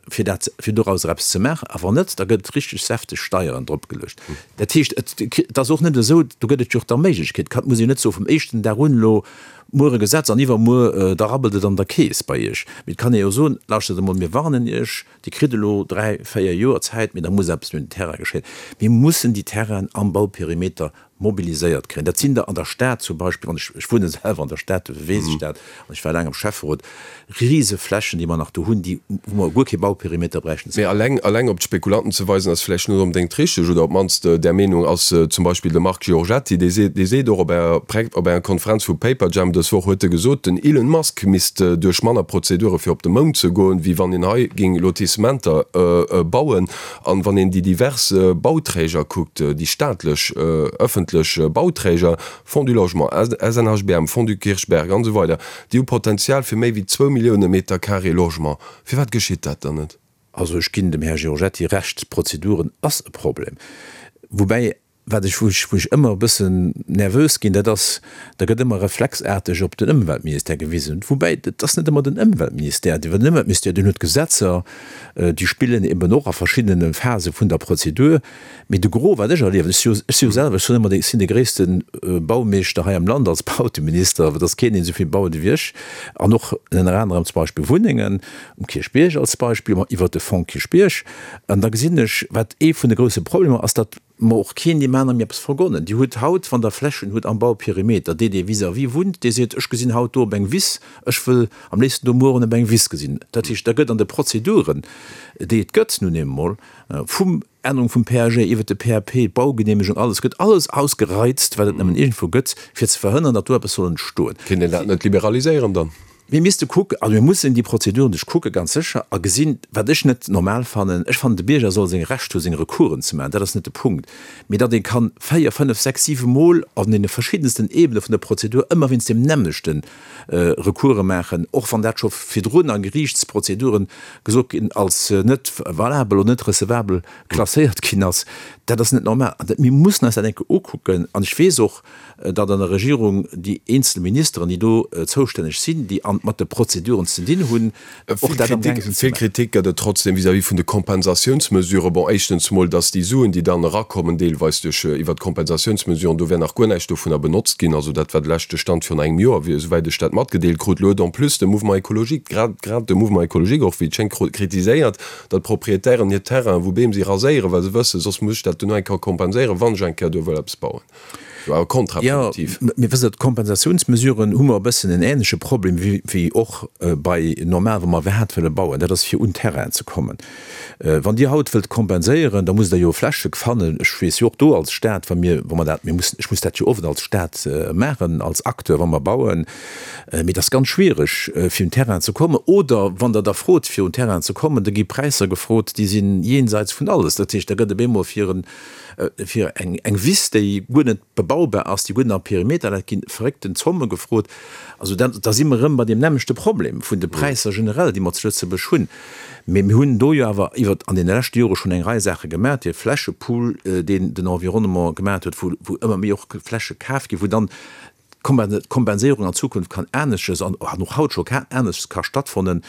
fir dat, fir dorauser eppes ze maachen, a wann net, da gëtt richteg säfteg Steieren drop geluecht. Dat heescht, et ass och net esou, do gëtt et jo och da Méiglechkeet, et muss een net soen, vum éischten Dag un, elo muer e Gesetz an iwwermuer, da rabbelt et an der Keess bei Iech. Mee et kann ee jo soen, lauschtert emol, mir warnen Iech, Dir kritt elo dräi, véier Joer Zäit, mee da muss eppes un den Terrain geschéien. Mir mussen déi Terrainen am Bauperimeter mobiliséiert kréien. Dat sinn der an der Stad zum Beispill, wann ech, ech wunne selwer an der Stad, dofir weess ech dat, an ech war laang am Schäfferot, rise Flächen, déi mer nach do hunn, déi, wou mer guer kee Bauperimeter bräichten. Mee alleng, alleng op d'Spekulanten ze weisen, ass vläicht net onbedéngt richteg, oder op d'mannst där Meenung ass zum Beispill de Marc Giorgetti, dee seet, dee seet och op enger, op enger Konferenz vu Paperjam dës Woch huet e gesot, den Elon Musk misst duerch manner Prozedure fir op de Mound ze goen, wéi wann een hei géing Lotissementer bauen. An wann een déi divers Bauträger kuckt, déi staatlech, ëffentlech Bauträger, Fonds du Logement, S N H B M, Fonds du Kirchberg an esou weider, déi hu Potenzial fir méi wéi zwou Millioune Meter carré Logement. Firwat geschitt dat dann net? Also ech ginn dem Här Giorgetti Recht, d'Prozeduren ass e Problem. Woubäi, wat ech, wou ech, wou ech ëmmer e bëssen nervös ginn, dat ass, da gëtt ëmmer reflexaarteg op den Ëmweltministère gewisen. Woubäi, et ass net ëmmer den Ëmweltministère, dee, well den Ëmweltministère, deen huet Gesetzer, déi spillen eben och a verschiddene Phase vun der Prozedur. Mee de Gros, wat ech erliewen, ech si jo, ech si jo selwer, ech soen ëmmer, ech sinn de gréisste Baumeeschter hei am Land als Bauteminister, et ass keen, deen esou vill baut ewéi ech, an och ënner anerem zum Beispill Wunnengen um Kierchbierg als Beispill, ma iwwert de Fonds Kierchbierg. An da gesinn ech, wat ee vun de grousse Problemer ass, datt mer och keen deem anere méi eppes vergonnen. Dir hutt haut, wann Der Flächen hutt am Bauperimeter, dee, dee vis-à-vis wunnt, dee seet, ech gesinn haut do op eng Wiss, ech wëll am léifsten do mueren op eng Wiss gesinn. Dat heescht, da gëtt an de Prozeduren, déi et gëtt nun eemol, vum Ännerung vum P A G iwwert de P A P, d'Baugenehmegung, alles, gëtt alles ausgereizt, wat et nëmmen iergendwou gëtt, fir ze verhënnern, datt do eppes soll entstoen. Kéint een dat net liberaliséieren dann? Mir misste kucken, also mir mussen déi Prozeduren duerchkucke ganz sécher a gesinn, wat ech net normal fannen, ech fannen de Bierger soll seng Recht hu seng Recoursen ze maachen, dat ass net de Punkt, mee datt ee kann véier, fënnef, sechs, siwe Mol an deene verschiddensten Ebene vun der Prozedur ëmmer wéinst deem nämmlechte Recourse maachen, och wann dat scho virdrun a Geriichtsprozeduren gesot ginn als net valabel oder net recevabel klasséiert ginn ass, dat ass net normal. An dat, mir mussen eis dat eng Kéier ukucken an ech weess och, datt an der Regierung déi eenzel Ministeren, déi do zoustänneg sinn, déi an mat de Prozeduren ze dinn hunn, och dat am gaang sinn ze Vill maachen. Kritik gëtt et trotzdem vis-à-vis vun de Kompensatiounsmesuren. Bon, éischtens mol, datt déi Suen, déi dann erakommen, deelweis duerch iwwert d'Kompensatiounsmesuren, do wär nach guer näischt dovunner benotzt ginn. Also dat war de leschte Stand virun engem Joer, wéi esouwäit ech dat matgedeelt krut. Elo huet en plus de Mouvement écologique, grad grad de Mouvement écologique och, wéi et schéngt, kritiséiert, datt d'Proprietären hir Terrainen, wou Beem si, raséieren, well se wëssen, soss muss ech dat duerno eng Kéier kompenséieren, wann ech eng Kéier do wëll eppes bauen. Awer kontraproduktiv. Jo, mee wësst Der, d'Kompensatiounsmesuren hu mer e bëssen en ähnleche Problem wéi, wéi och bei normal, wa mer iwwerhaapt wëlle bauen, dat ass fir un Terrainen ze kommen. Wann Dir haut wëllt kompenséieren, da musst Der jo Fläche fannen. Ech weess jo och do als Stat, wa mir, wa mer dat, mir mussen, ech muss dat jo oft als Stat maachen, als Acteur, wa mer bauen, mee et ass ganz schwiereg fir un Terrainen ze kommen. Oder wann Der da frot fir un Terrainen ze kommen, da gi Präisser gefrot, déi sinn jenseits vun alles. Dat heescht, da gëtt op eemol fir en, fir eng, eng Wiss, déi guer net bebaubar ass, déi guer net am Perimeter läit, ginn verréckten Zomme gefrot. Also da, da si mer erëm bei deem nämmlechte Problem vun de Präisser generell, déi mer zu Lëtzebuerg hunn. Mee mir hunn do jo awer iwwer an deene leschte Jore schonn eng Rei Saache gemaach, dee Flächepool, deen den Environnement gemaach huet, wou, wou ëmmer méi och Fläche kaf ginn, wou dann d'Kompenséierung an Zukunft kann anesches an och haut scho anesches ka stattfannen,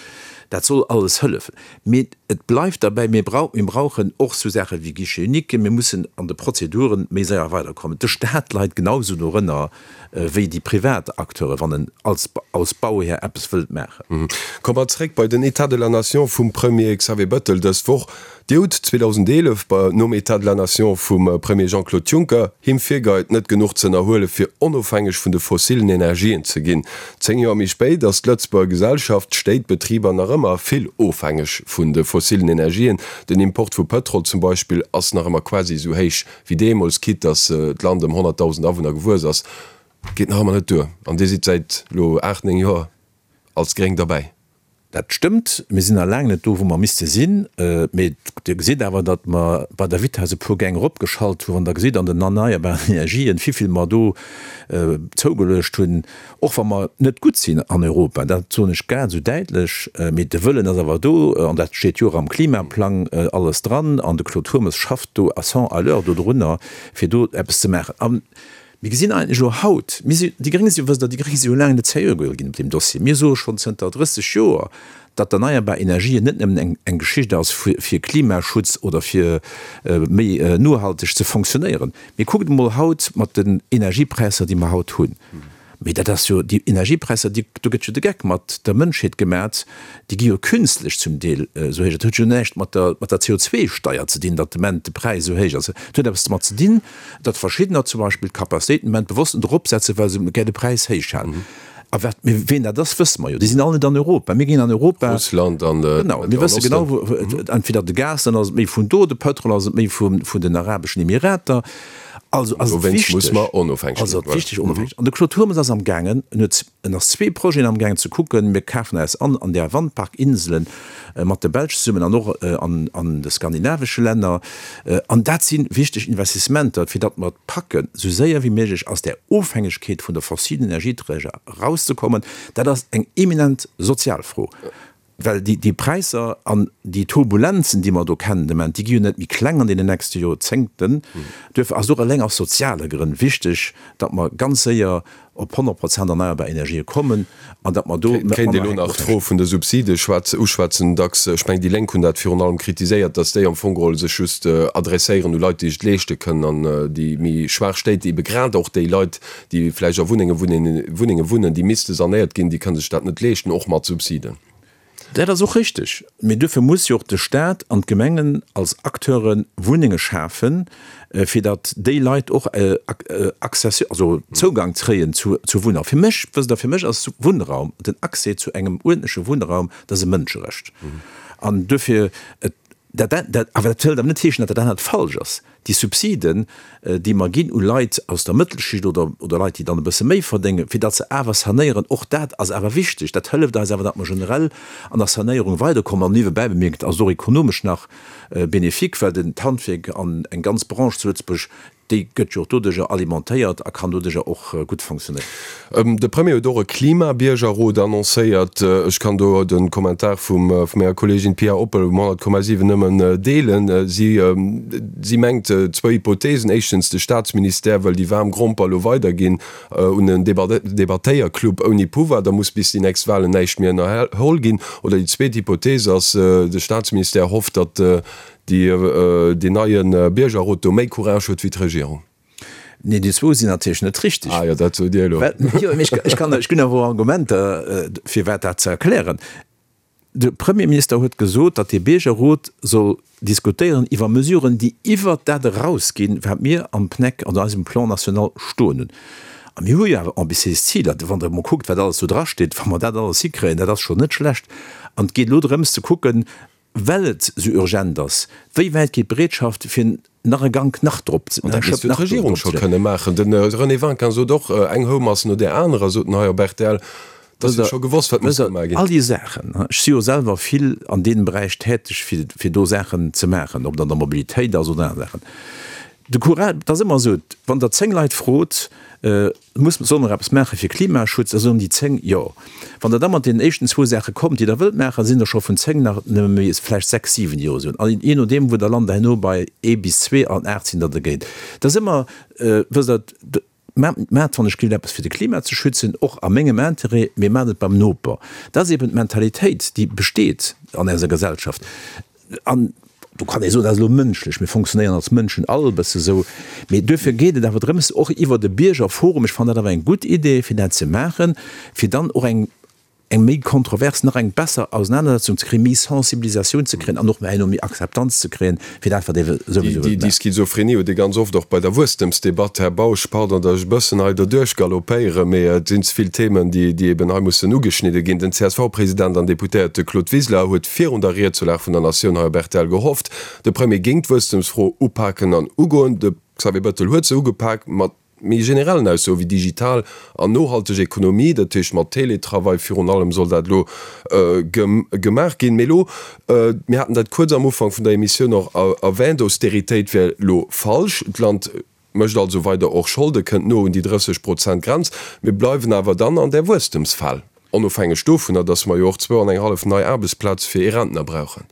dat soll alles hëllefen. Mee et bleift derbäi, mir brauchen och esou Saache wéi Guichet unique, mir mussen an de Prozeduren méi séier weiderkommen. De Staat leit genau esou dorënner wéi déi privat Acteuren, wann en als als Bauhär eppes wëllt maachen. Komme mer zréck bei den État de la Nation vum Premier Xavier Bettel dës Woch. Dir hutt zweedausendeelef bei nom État de la Nation vum Premier Jean-Claude Juncker him virgeheit, net genuch ze ënnerhuele fir onofhängeg vun de fossilen Energien ze ginn. Zéng Joer méi spéit ass d'Lëtzebuerger Gesellschaft, d'Stéit, d'Betriber nach ëmmer vill ofhängeg vun de fossilen Energien. Den Import vu Pëtrol zum Beispill ass nach ëmmer quasi esou héich wéi deemools, quitte datt d'Land ëm honnertdausend Awunner gewuess ass. Geet nach ëmmer net duer. An Dir sidd säit elo aacht, néng Joer als Gréng derbäi. Dat stëmmt, mir sinn nach laang net do, wou mer misste sinn. Mee Dir gesitt awer, datt mer bei der Vitess e puer Gäng eropgeschalt hunn. Wann Der gesitt an den erneierbaren Energien, wivill mer do zougeluecht hunn, och wa mer net gutt sinn an Europa, dat soen ech grad esou däitlech, mee de Wëllen ass awer do an dat steet jo och am Klimaplang alles dran an de Claude Turmes schafft do à cent à l'heure dodrunner, fir do eppes ze maachen. A mir gesinn eigentlech elo haut, mir si, déi Gréng si jo, wësst Der, déi Gréng si jo laang net seriö geholl ginn op deem Dossier. Mir soe schonn zënter drësseg Joer, datt d'erneierbar Energien net nëmmen eng, eng Geschicht ass fir, fir Klimaschutz oder fir méi nohalteg ze fonctionnéieren. Mee kuckt emol haut mat den Energiepräisser, déi mer haut hunn. Mee dat ass jo, déi Energiepräisser, déi, do gëtt jo de Geck mat der Mënschheet gemat, déi gi jo künstlech zum Deel esou héich. Dat huet jo näischt mat der, mat der C O zwei Steier ze dinn, datt de Moment de Präis esou héich ass. Et huet eppes domat ze dinn, datt verschiddener zum Beispill d'Capacitéiten de Moment bewosst eropsetzen, well se gär de Präis héich halen. A wat, mee ween dat ass, wësse mer jo. Déi sinn all net an Europa. Mir ginn an Europa. Russland an de Genau, mir wësse genau, wou, entweder de Gas, dann ass et méi vun do, de Pëtrol ass et méi vun, vun den Arabeschen Emirater. Also ass et Dowéinst muss wichteg, mer onofhängeg also ginn, et voilà. wichteg onofhängeg. An de Claude Turmes ass am gaangen, en huet, en ass zwee Projeten am gaangen ze kucken. Mir kafen eis an an där Wandparkinselen mat de Belsch zesummen an och an, an de skandinavesche Länner. An dat si wichteg Investissementer, fir datt mer et packen, esou séier wéi méiglech aus där Ofhängegkeet vun de fossilen Energieträger erauszekommen. Dat ass eng eminent sozial Fro. Well déi, déi Präisser an déi Turbulenzen, déi mer do kennen de Moment, déi gi jo net méi kleng an deenen nächste Joerzéngten. Duerfir ass et och eleng aus soziale Grënn wichteg, datt mer ganz séier op honnert Prozent erneierbar Energië kommen an datt mer do Kéint ee manner lo nach ofhängeg d'Fro vun de Subside uschwätzen. Dacks, ech mengen, déi Lénk hunn dat virun allem kritiséiert, datt déi am Fong geholl sech just adresséieren u Leit, déi sech et leeschte kënnen an déi méi schwaach Stéit, ebe grad och déi Leit, déi vläicht a Wunnenge Wunnenge wunnen, déi misste sanéiert ginn, déi kënne sech dat net leeschten, och mat Subsiden. Dat ass och richteg. Mee duerfir muss jo och de Stat an d'Gemengen als Acteure Wunnenge schafen, fir datt déi Leit och Accès, also Zougang kréien zu Wunnraum. Fir mech, wësst Der, fir mech ass Wunnraum, den Accès zu engem uerdentleche Wunnraum, dat ass e Mënscherecht. An duerfir, et Dat, dat, awer dat wëllt awer net heeschen, datt dat anert falsch ass. Déi Subsiden, déi mer ginn u Leit aus der Mëttelschicht oder, oder Leit, déi dann e bësse méi verdéngen, fir datt se awer sanéieren, och dat ass awer wichteg. Dat hëlleft eis awer, datt mer generell an der Sanéierung weiderkommen. An niewebäi bemierkt ass et och ekonomesch nach bénéfique, well den d'Handwierk an eng ganz Branche zu Lëtzebuerg, déi gëtt jo och doduerjer alimentéiert a kann doduerjer och gutt fonctionnéieren. De Premier huet och e Klimabiergerrot annoncéiert. Ech kann do de Kommentar vum menger Kolleegin Pia Oppel um honnert Komma siwen nëmmen deelen. Si, si mengt zwou Hypotheesen. Éischtens, de Staatsministère wëll déi waarm Gromper elo weiderginn un en Debattéierclub ouni Pouvoir, da muss bis déi nächst Wahlen näischt méi ënnerholl ginn. Oder déi zweet Hypothees ass, de Staatsministère hofft, datt deen neie Biergerrot do méi Courage huet wéi d'Regierung. Nee, déi zwou sinn natierlech net richteg. Ah jo, dat sot Dir elo. Jo, mee ech kann, ech ginn awer och Argumenter, firwat dat ze erklären. De Premierminister huet gesot, datt dee Biergerrot soll diskutéieren iwwer Mesuren, déi iwwert dat erausginn, wat mir am PNEC, an eisem Plan national stoen hunn. A mir hu jo awer ambitiéis Ziler. Wann Der emol kuckt, wat alles do drasteet, wa mer dat alles hikréien, dat ass schonn net schlecht. An et geet elo drëms ze kucken, well et esou urgent ass, wéi wäit geet d'Bereetschaft, fir nach e Gank nach drop ze, An dat misst jo d'Regierung scho kënne maachen. De René Winkin sot och, eng Houmass no där anerer, sot en hei op rtl. Et ass jo scho gewosst, wat muss gemaach ginn. All déi Saachen, ech si jo selwer vill an deem Beräich täteg, fir, fir do Saachen ze maachen, ob et an der Mobilitéit ass oder aner Saachen. De Courage, et ass ëmmer esou, wann Der zéng Leit frot, muss, solle mer eppes maache fir Klimaschutz, da soen déi zéng Jo. Wann Der da mat deenen éischten zwou Saache kommt, déi Der wëllt maachen, sinn der scho vun zéng nach nëmme méi vläicht sechs, siwen, déi Jo soen. An jee nodeem, wou Der lant, herno bei ee bis zwee an aacht sinn der dergéint. Et ass ëmmer, wësst Der, Maacht wann ech gleeft eppes fir de Klima ze schützen, och a mengem Interêt, mee maacht et beim Noper. Dat ass eben d'Mentalitéit, déi besteet an eiser Gesellschaft. An do kann ee soen, dat ass elo mënschlech, mir fonctionnéieren als Mënschen all e bësse sou. Mee duerfir geet et awer drëms, och iwwert e Biergerforum, ech fannen dat awer eng gutt Idee, fir dat ze maachen, fir dann och eng eng méi kontrovers, nach eng besser Ausenanersetzung ze kréien, méi Sensibilisatioun ze kréien an och herno méi Akzeptanz ze kréien fir dat, wat ee souwisou wëllt Déi maachen. Schizophrenie huet ee ganz oft och bei der Wuesstemsdebatt, Här Bausch. Pardon, datt ech e bëssen hei doduerch galoppéieren, mee et sinn ze vill Themen, déi eben hei mussen ugeschnidde ginn. Den C S V-President an Deputéierte Claude Wiseler huet virun der Ried zur Lag vun der Natioun hei op R T L gehofft, de Premier géing d'Wuesstemsfro upaken an ugoen. De Xavier Bettel huet se ugepak mat méi generellen Aussoe wéi digital an nohalteg Ekonomie, dat heescht mat Teletravail virun allem soll dat elo gemaach ginn. Mee elo, mir haten dat kuerz am Ufank vun der Emissioun och erwähnt, Austeritéit wär elo falsch. D'Land mécht also weider och Scholde, kënnt no un déi drësseg Prozent Grenz. Mir bleiwen awer dann an där Wuesstemsfal, onofhängeg dovunner, datt mer jo och zwou an eng hallef nei Aarbechtsplaze fir ee Rentner brauchen.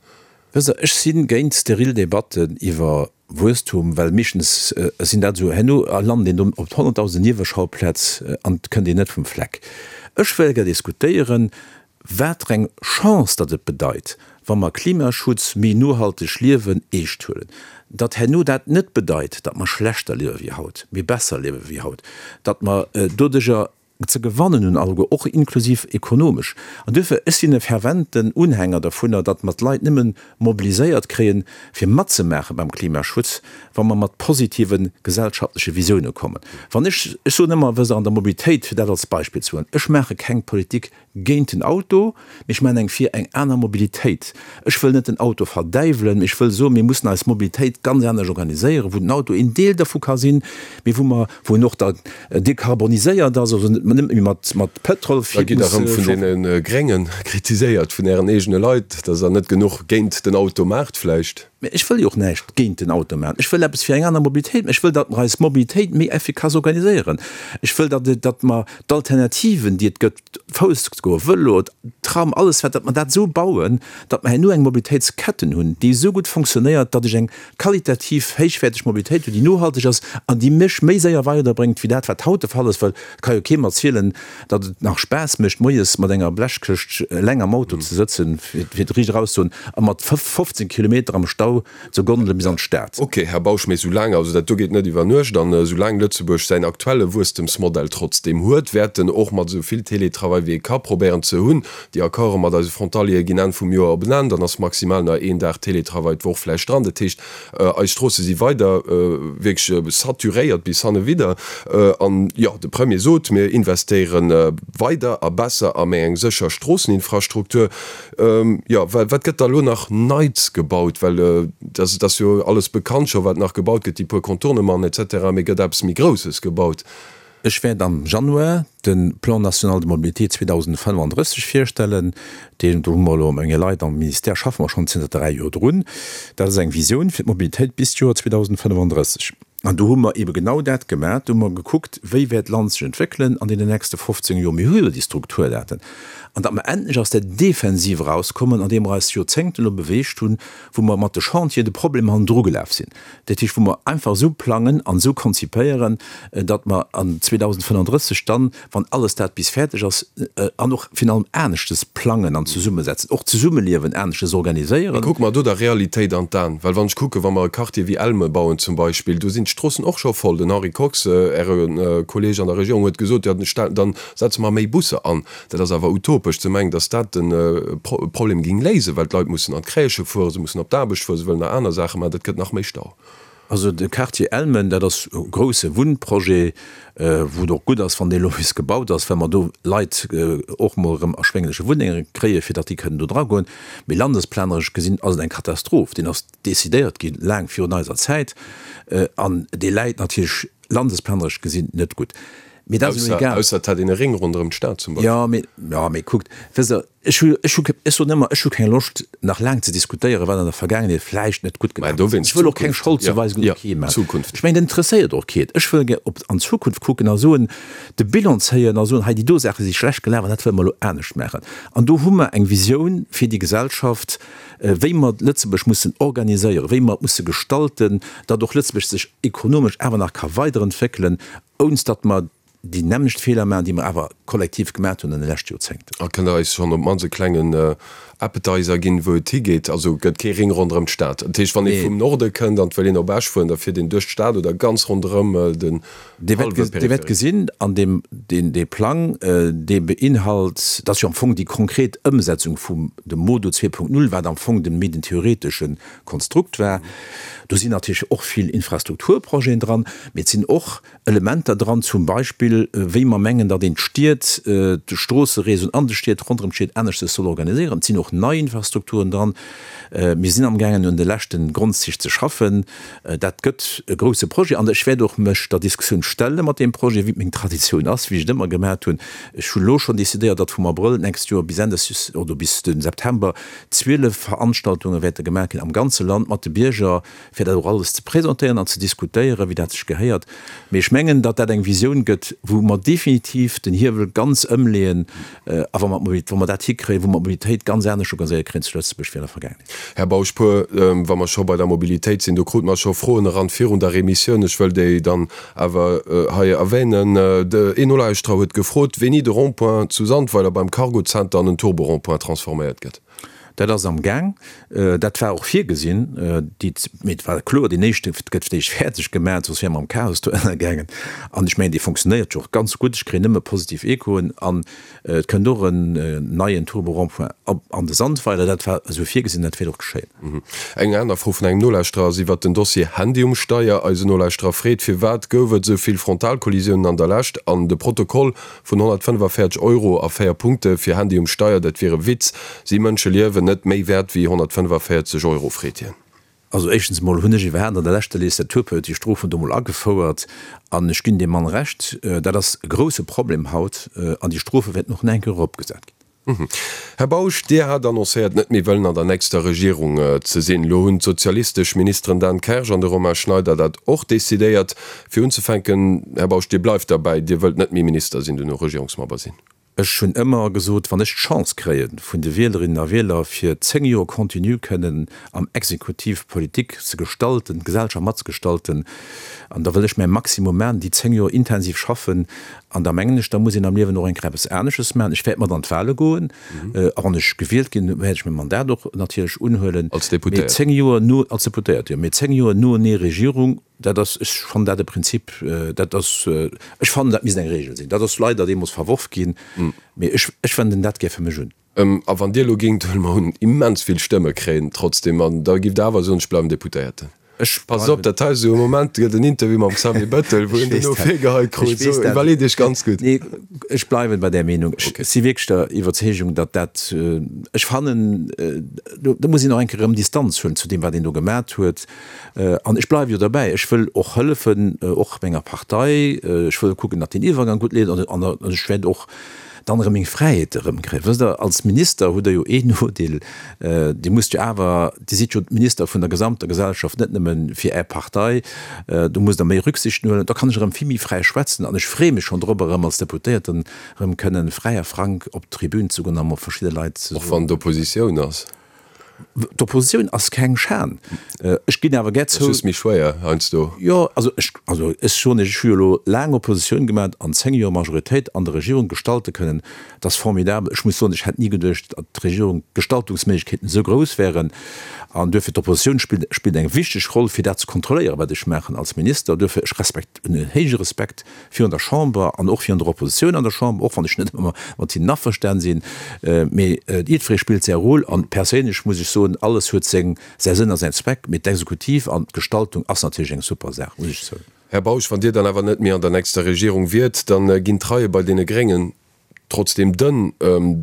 Wësst Der, ech si géint steril Debatten iwwer Wuesstum, well meeschtens sinn dat esou, herno lant een do op honnertdausend Nieweschauplätz an et kënnt een net vum Fleck. Ech wëll gär diskutéieren, wat fir eng Chance datt et bedeit, wa mer Klimaschutz, méi nohalteg Liewen eescht huelen. Datt herno dat net bedeit, datt mer schlechter liewe wéi haut, mee besser liewe wéi haut, datt mer doduerjer ze gewannen hunn alleguer, och inklusiv ekonomesch. An duerfir, ech sinn e ferventen Unhänger dovunner, datt mer d'Leit nëmme mobiliséiert kréien, fir matzemaache beim Klimaschutz, wa mer mat positive gesellschaftleche Visioune kommen. Wann ech, ech soen ëmmer, wësst Der, an der Mobilitéit, fir dat als Beispill ze huelen, ech maache keng Politik géint den Auto, mee ech maachen eng fir eng aner Mobilitéit. Ech wëll net den Auto verdäiwelen, mee ech wëll soen, mir mussen eis Mobilitéit ganz anescht organiséieren, wou den Auto een Deel dervu ka sinn, mee wou mer, wou en och da dekarboniséiert ass, also net méi mat, mat Pëtrol Da gitt Der erëm vun deene Grénge kritiséiert, vun Ären eegene Leit, datt Der net genuch géint den Auto maacht vläicht. Mee ech wëll jo och näischt géint den Auto maachen. Ech wëll eppes fir eng aner Mobilitéit maachen. Ech wëll, datt mer eis Mobilitéit méi effikass organiséieren. Ech wëll, datt, datt mer d'Alternativen, déi et gëtt, Fouss ze goen, Vëlo, Tram, alles wat, datt mer dat esou bauen, datt mer herno eng Mobilitéitsketten hunn, déi esou gutt fonctionnéiert, datt ech eng qualitativ héichwäerteg Mobilitéit hunn, déi nohalteg ass an déi mech méi séier weiderbréngt wéi dat, wat haut de Fall ass. Well et ka jo kee mer erzielen, datt et nach Spaass mécht, moies mat enger Blechkëscht eleng am Auto ze sëtzen, fir et riicht eraus ze soen, a mat fofzéng Kilometer am Stau Stau ze Gondele bis an d'Stad. Ok, Här Bausch, mee soulaang, also dat do geet net iwwer Nuecht, an soulaang Lëtzebuerg säin aktuelle Wuesstemsmodell trotzdeem huet, wäert en och mat esou vill Télétravail wéi e ka probéieren ze hunn. Déi Accorde mat eise Frontaliere ginn Enn vum Joer op en Enn, dann ass maximal nach een Dag Télétravail d'Woch vläicht dran. Dat heescht, eis Stroosse si weider wierklech saturéiert bis hannewidder. An jo, de Premier sot, mir investéiere weider a besser a méi eng sécher Stroosseninfrastruktur. Jo, wat gëtt da elo nach Neits gebaut? Well et ass jo alles bekannt scho wat nach gebaut gëtt, déi puer Contournementen et cetera, mee gëtt eppes méi Grousses gebaut? Ech wäert am Januar de Plan national de mobilité zweedausendfënnefandrësseg virstellen. Deen, do hu mer elo mat menge Leit am Ministère, schaffe mer schonn zënter dräi Joer drun. Dat ass eng Visioun fir d'Mobilitéit bis d'Joer zweedausendfënnefandrësseg. An do hu mer eebe genau dat gemaach. Do hu mer gekuckt, wéi wäert d'Land sech entwéckelen an deenen nächste fofzéng Joer. Mir hu jo déi Strukturdaten. An datt mer endlech aus der Defensiv erauskommen, an deem mer eis Joerzéngten elo beweegt hunn, wou mer mat de Chantieren de Problemer hannendru gelaf sinn. Dat heescht, wou mer einfach esou plangen an esou konzipéieren, datt mer an zweedausendfënnefandrësseg dann, wann alles dat bis fäerdeg ass, an och virun allem aneschtes plangen an zesummesetzen, och d'Zesummeliewen aneschtes organiséieren. Kucke mer do der Realitéit an d'Aen. Well wann ech kucken, wa mer e Quartier wéi Elme bauen zum Beispill, do sinn d'Stroossen och scho voll. Den Henri Kox, Äre Kolleeg an der Regierung, huet gesot, jo dann setze mer méi Busser an. Dat ass awer utopesch ze mengen, datt dat de Problem géing léisen, well d'Leit mussen an d'Crèchë fueren, se mussen op d'Aarbecht fueren, se wëllen nach aner Saache maachen, dat gëtt nach méi Stau. Also de Quartier Elmen, dat ass e grousse Wunnprojet, wou et och gutt ass, wann dee elo bis gebaut ass, well mer do Leit och emol erëm erschwéngleche Wunnenge kréien, fir datt déi kënnen do dragoen. Mee landesplaneresch gesinn ass et eng Katastroph. Deen ass decidéiert gi laang virun eiser Zäit an dee läit natierlech landesplaneresch gesinn net gutt. Mee dat ass elo egal. Ausser et hätt een e Ring ronderëm d'Stad zum Beispill. Jo, mee, jo, mee kuckt, wësst Der, ech hu, ech hu, ech soen ëmmer, ech hu keng Loscht, nach laang ze diskutéieren, wat an der Vergaangenheet vläicht net gutt Mä gelaf ass. dowéinst Ech wëll och keng Zukunft. Scholdzuweisung Jo, u kee maachen. Zukunft. Ech mengen, dat interesséiert och keen. Ech wëll gär op, an d'Zukunft kucken a soen, de Bilan zéien a soen, hei déi do Saache si schlecht gelaf an dat wëlle mer elo anescht maachen. An do hu mer eng Visioun fir déi Gesellschaft, wéi mer Lëtzebuerg mussen organiséieren, wéi mer et musse gestalten, datt och Lëtzebuerg sech ekonomesch awer nach ka weiderentwéckelen, ounst datt mer déi nämmlecht Feeler maachen, déi mer awer kollektiv gemaat hunn an de leschte Joerzéngten. A kënnt Der eis schonn op d'mannst e klengen Appetizer ginn, wou et higeet? Also gëtt kee Ring ronderëm d'Stad? Dat heescht, wann ee vum Norde kënnt an et wëll een op Esch fueren, da fiert een duerch d'Stad oder ganz ronderëm den Dir wäert hallwe Dir wäert Périphérique? gesinn, an deem, deen, dee Plang, dee beinhalt, dat ass jo am Fong déi konkret Ëmsetzung vum dem Modo zwee Punkt null, wat am Fong de méi den theoretesche Konstrukt war. Do sinn natierlech och vill Infrastrukturprojeten dran, mee et sinn och Elementer dran, zum Beispill wéi mer mengen, datt een d'Stied, d'Stroossereseauen an de Stied, ronderëm d'Stied aneschtes soll organiséieren. Et sinn och nei Infrastrukturen dran. Mir sinn amgaangen un de leschte Grondzich ze schaffen. Dat gëtt e grouse Projet an ech wäert och mech der Diskussioun stelle mat deem Projet, wéi et meng Traditioun ass, wéi ech et ëmmer gemat hunn. Ech hu lo schonn decidéiert, datt vum Abrëll d'nächst Joer bis Enn des, oder bis de September zwielef Veranstaltunge wäerte gemaach ginn am ganze Land mat de Bierger, fir dat och alles ze presentéieren an ze diskutéieren, wéi dat sech gehéiert. Mee ech mengen, datt dat eng Visioun gëtt, wou mer definitiv den Hiewel ganz ëmleeën a wa mer d'Mobilitéit, wa mer dat hikréien, wou mer d'Mobilitéit ganz anescht organiséiert kréien zu Lëtzebuerg wéi an der Vergaangenheet. Här Bausch, puer, wa mer scho bei der Mobilitéit sinn, do krute mer scho Froen eran virun der Emissioun, ech wëll déi dann awer hei erwänen. De een Nolauschterer huet gefrot, wéini de Rond-point zu Sandweiler beim Cargo-Zenter an en Turbo-Rond-point transforméiert gëtt. Dat ass am Gaang. Dat war och virgesinn. Déi, mee et war kloer, deen éischte gëtt fir d'éischt fäerdeg gemaach, soss wäre mer am Chaos do ënnergaangen. An ech mengen, dee fonctionnéiert jo och ganz gutt. Ech kréien nëmme positiv Echoen. An et kënnt och en neien Turbo-Rond-point op an de Sandweiler. Dat war esou virgesinn, dat wäert och geschéien. Eng aner Fro vun engem Nolauschterer ass iwwert den Dossier Handy um Steier. Eisen Nolauschterer freet, Firwat gouf et esou vill Frontalkollisiounen an der Lescht? An de Protokoll vun honnertfënnefavéierzeg Euro a véier Punkte fir Handy um Steier, dat wier e Witz. Si Mënscheliewen net méi wäert wéi honnertfënnefavéierzeg Euro, freet hien. Also éischtens emol hunn ech iwwerhaapt an der leschter Legislaturperiod déi Strofen do mol agefouert an ech ginn deem Mann Recht, dat ass e grouse Problem haut an déi Strofe wäerten och nach eng Kéier eropgesat ginn. Här Bausch, Dir hat annoncéiert, net méi wëllen an der nächster Regierung ze sinn. Elo hunn d'sozialistesch Ministeren Dan Kersch an de Romain Schneider dat och decidéiert. Fir unzefänken, Här Bausch, Dir bleift derbäi, Dir wëllt net méi Minister sinn, duerno Regierungsmember sinn? Ech hunn ëmmer gesot, wann ech d'Chance kréie vun de Wielerinnen a Wieler, fir zéng Joer continu kënnen am Exekutiv Politik ze gestalten, d'Gesellschaft matzegestalten, an da wëll ech mäi Maximum maachen, déi zéng Joer intensiv schaffen An da mengen ech, da muss een am Liewen och eng Kéier eppes anesches maachen. Ech wäert mat an d'Wahle goen. A wann ech gewielt ginn, wäert ech mäi Mandat och natierlech unhuelen. Als Deputéiert. Mee zéng Joer no, als Deputéiert, jo. Mee zéng Joer noenee Regierung, dat ass, ech fannen dat e Prinzip, dat ass, ech fannen, dat misst eng Regel sinn. Dat ass leider deemools verworf ginn, mee ech, ech wenden dat gär fir mech un. A wann Dir elo géingt, huele mer un, immens vill Stëmme kréien trotzdem, an da giff Der awer soen, ech bleiwen Deputéierten? Ech Passt op, dat hei esou e Moment gëtt en Interview mam Xavier Bettel, wou en duerno virgeheit krut. Sou, iwwerleet Iech ganz gutt. Nee, ech bleiwen bei där Meenung. Ech si wierklech der Iwwerzeegung, datt dat, ech fannen, do muss een och eng Kéier erëm Distanz huelen zu deem, wat een do gemat huet. An ech bleiwe jo derbäi, ech wëll och hëllefen, och menger Partei. Ech wëll kucken, datt deen Iwwergang gutt leeft an ech wäert och dann erëm meng Fräiheet erëmkréien. Wësst Der, als Minister hutt Der jo een Nodeel, Dir musst jo awer, Dir sidd jo Minister vun der gesamter Gesellschaft, net nëmme fir Är Partei, do musst Der méi Rücksichten huelen. Da kann ech erëm vill méi fräi schwätzen an ech freeë mech schonn drop, erëm als Deputéierten erëm kënnen fräi a frank op d'Tribün ze goen a mer verschidde Leit ze Och wann soen. d'Oppositioun ass. D'Oppositioun ass keng Schan. Ech ginn awer gär Ass zou. just méi schwéier heiansdo. Jo, also ech, also ech soen Iech, ech hu jo elo laang Oppositioun gemaat an zéng Joer Majoritéit an der Regierung gestalte kënnen. Dat ass formidabel. Ech muss soen, ech hätt ni geduecht, datt d'Regierung d'Gestaltungsméiglechkeeten esou grouss wären. An duerfir, d'Oppositioun spillt, spillt eng wichteg Roll, fir dat ze kontrolléieren, wat ech maachen als Minister. Duerfir, ech respekt, hunn en héije Respekt virun der Chamber an och virun der Oppositioun an der Chamber, och wann ech net ëmmer mat hinnen averstan sinn. Mee jiddweree spillt säi Rôle an perséinlech muss ech soen, alles huet seng, säi Sënn a säin Zweck, mee d'Exekutiv an d'Gestaltung ass natierlech eng super Saach, muss ech soen. Här Bausch, wann Dir dann awer net méi an der nächster Regierung wiert, da ginn d'Reie bei deene Gréngen Trotzdem dënn.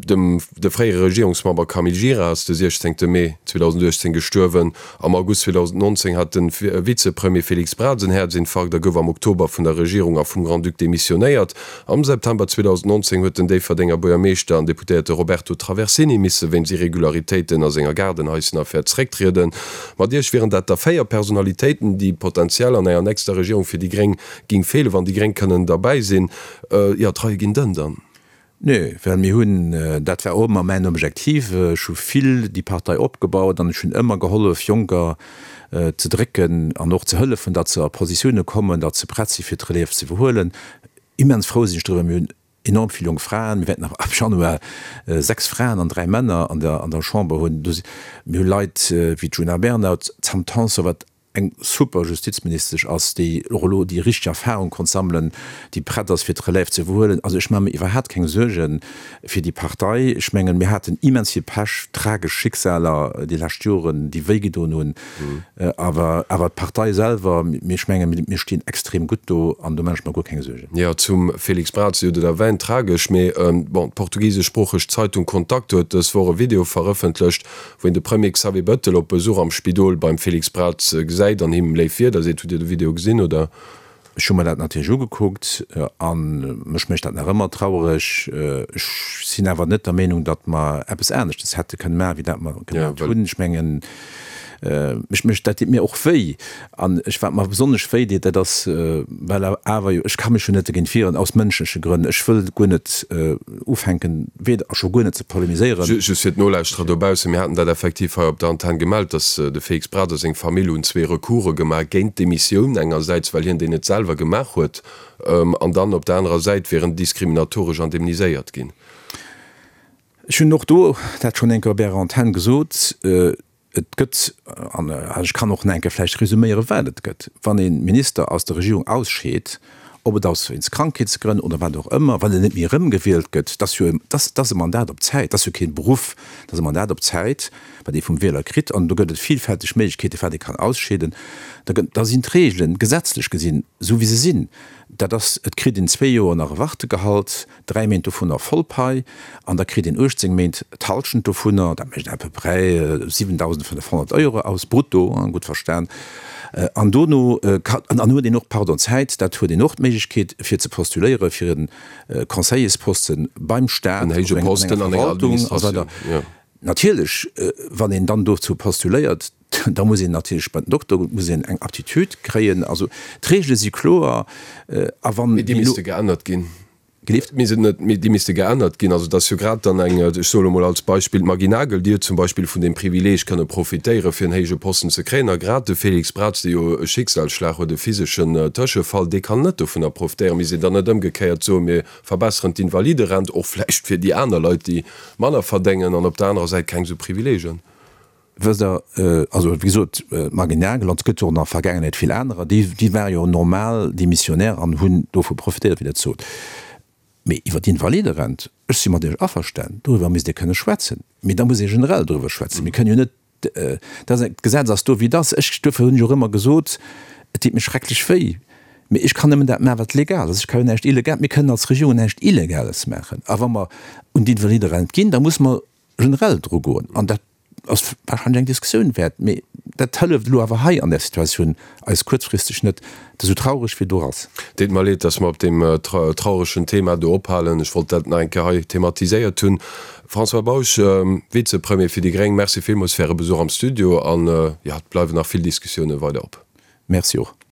Dem de fréiere Regierungsmember Camille Gira ass de siechzéngte Mee zweedausendachtzéng gestuerwen. Am August zweedausendnonzéng hat de Vizepremier Félix Braz en Häerzinfarkt a gouf am Oktober vun der Regierung a vum Grand-Duc demissionéiert. Am September zweedausendnonzéng huet den Déifferdenger Buergermeeschter an Deputéierte Roberto Traversini misse wéinst Irregularitéiten a senger Gaardenhaissenaffär zerécktrieden. Mat Iech wieren dat da véier Personalitéiten, déi potentiell an enger nächster Regierung fir déi Gréng géing feelen, wann déi Gréng kënnen derbäi sinn. Jo, d'Reie ginn dënn dann. Nee, well mir hunn, dat war och ëmmer mäin Objektiv, ech hu vill déi Partei opgebaut an ech hunn ëmmer gehollef Jonker ze drécken an och ze hëllefen, datt se a Positioune kommen, datt se prett si fir d'Relève ze iwwerhuelen. Immens frou sinn ech driwwer, mir hunn enorm vill jonk Fraen, mir wäerten ab Januar sechs Fraen an dräi Männer an der an der Chamber hunn. Mir hu Leit wéi d'Djuna Bernard, d'Sam Tanson, wat eng super Justizministesch ass, déi och elo déi richteg Erfahrung konnt sammelen, déi prett ass fir d'Relève ze iwwerhuelen. Also ech maache mir iwwerhaapt keng Suerge fir déi Partei. Ech mengen, mir haten immens vill Pech, tragesch Schicksaler déi lescht Joren, déi wéi gedoen hunn. Awer awer d'Partei selwer, mir, ech mengen, mir stinn extrem gutt do an do maache ech mer guer keng Suergen. Jo, zum Félix Braz, Dir hutt et erwähnt, tragesch, mee bon, d'portugiseschsproocheg Zeitung Contacto huet dës Woch e Video verëffentlecht, wou een de Premier Xavier Bettel op Besuch am Spidol beim Félix Braz gesäit an him léif Wierder seet. Hutt Dir de Video gesinn, oder? Ech hu mer dat natierlech ugekuckt a mech mécht dat nach ëmmer trauereg. Ech sinn awer net der Meenung, datt mer eppes aneschtes hätte kënne maachen, wéi dat mer gemaach hunn. Ech mengen, Mech mécht dat deet mir och wéi. An ech wat mer besonnesch wéi deet, dat ass, well awer jo, ech ka mech jo net dogéint wieren, aus mënschleche Grënn. Ech wëll guer net ufänken, weder a scho guer net ze polemiséieren. Just fir d'Nolauschterer dobaussen, Mir haten dat effektiv hei op der Antenn gemellt, datt de Félix Braz a seng Famill hunn zwee Recourse gemaach géint d'Demissioun, engersäits well hien déi net selwer gemaach huet, an dann op der anerer Säit wier en diskriminatoresch indemniséiert ginn. Ech hunn och do dat schonn eng Kéier op Ärer Antenn gesot. Et gëtt, an ech kann och nach eng Kéier vläicht resuméieren, wat et gëtt, wann ee Minister aus der Regierung ausscheet, ob et ass wéinst Krankheetsgrënn oder wat och ëmmer, well en net méi erëmgewielt gëtt, dat ass jo, dat ass e Mandat op Zäit, dat ass jo keen Beruff, dat ass e Mandat op Zäit, wat ee vum Wieler kritt. An do gëtt et villfälteg Méiglechkeete wat ee kann ausscheeden. Da gëtt, da sinn d'Regelen gesetzlech gesinn esou wéi se sinn. Dat ass, et kritt een zwee Joer nach e Wartegehalt, dräi Méint dovunner voll Pai an da kritt een uechtzéng Méint d'Halschent dovunner, dat mécht à peu près siwendausendfënnefhonnert Euro aus, brutto, gutt verstan. An dono kann, an dann huet een och, pardon, Zäit, dat huet een och d'Méiglechkeet fir ze postuléiere fir e Conseillersposten beim Staat, En héije op enger Posten an enger Verwaltung a sou weider. Administratioun, jo. Natierlech, wann een dann dozou postuléiert, da muss een natierlech bei den Dokter goen, muss een eng Aptitude kréien. Also d'Regele si kloer. A wann Mee déi déi misste geännert ginn. Gelift? Misst et net, déi misste geännert ginn. Also et ass jo grad dann eng, ech soe lo mol als Beispill d'Maggy Nagel, déi huet zum Beispill vun deem Privileeg kënne profitéieren, fir en héije Posten ze kréien. A grad de Félix Braz, dee jo e Schicksalsschlag huet, e physeschen Tëschefall, dee kann net dovunner profitéieren. Misst een dann net ëmgekéiert soen, mir verbesseren d'Invaliderent och vläicht fir déi aner Leit, déi manner verdéngen, an op der anerer Säit keng esou Privileegen? Wësst Der, also wéi gesot, d'Margit Nagel, an et gëtt jo och an der Vergaangenheet vill anerer, déi, déi ware jo normal Demissionnaire an hunn dovu profitéiert, wéi Der et sot. Mee iwwer d'Invaliderent, ech si mat Iech averstanen, doriwwer misst ee kënne schwätzen. Mee da muss ee generell doriwwer schwätzen. Mir kënnen jo net, dat ass, d'Gesetz ass do wéi et ass. Ech, duerfir hunn ech och ëmmer gesot, et deet mir schrecklech wéi, mee ech kann nëmmen dat maachen, wat legal ass. Ech ka jo näischt Illegal, mir kënnen als Regierung näischt Illegales maachen. A wa mer un d'Invaliderent ginn, da muss mer generell dru goen. An dat ass wahrscheinlech eng Diskussioun wäert, mee dat hëlleft elo awer hei an där Situatioun eis kuerzfristeg net, esou traureg wéi do ass. Deet mer leed, dass mer op deem trauregen Thema do ophalen. Ech wollt dat nach eng Kéier hei thematiséiert hunn. François Bausch, Vizepremier fir déi gréng, Merci villmools fir Äre Besuch am Studio an, jo, et bleiwen nach vill Diskussioune weider op. Merci och.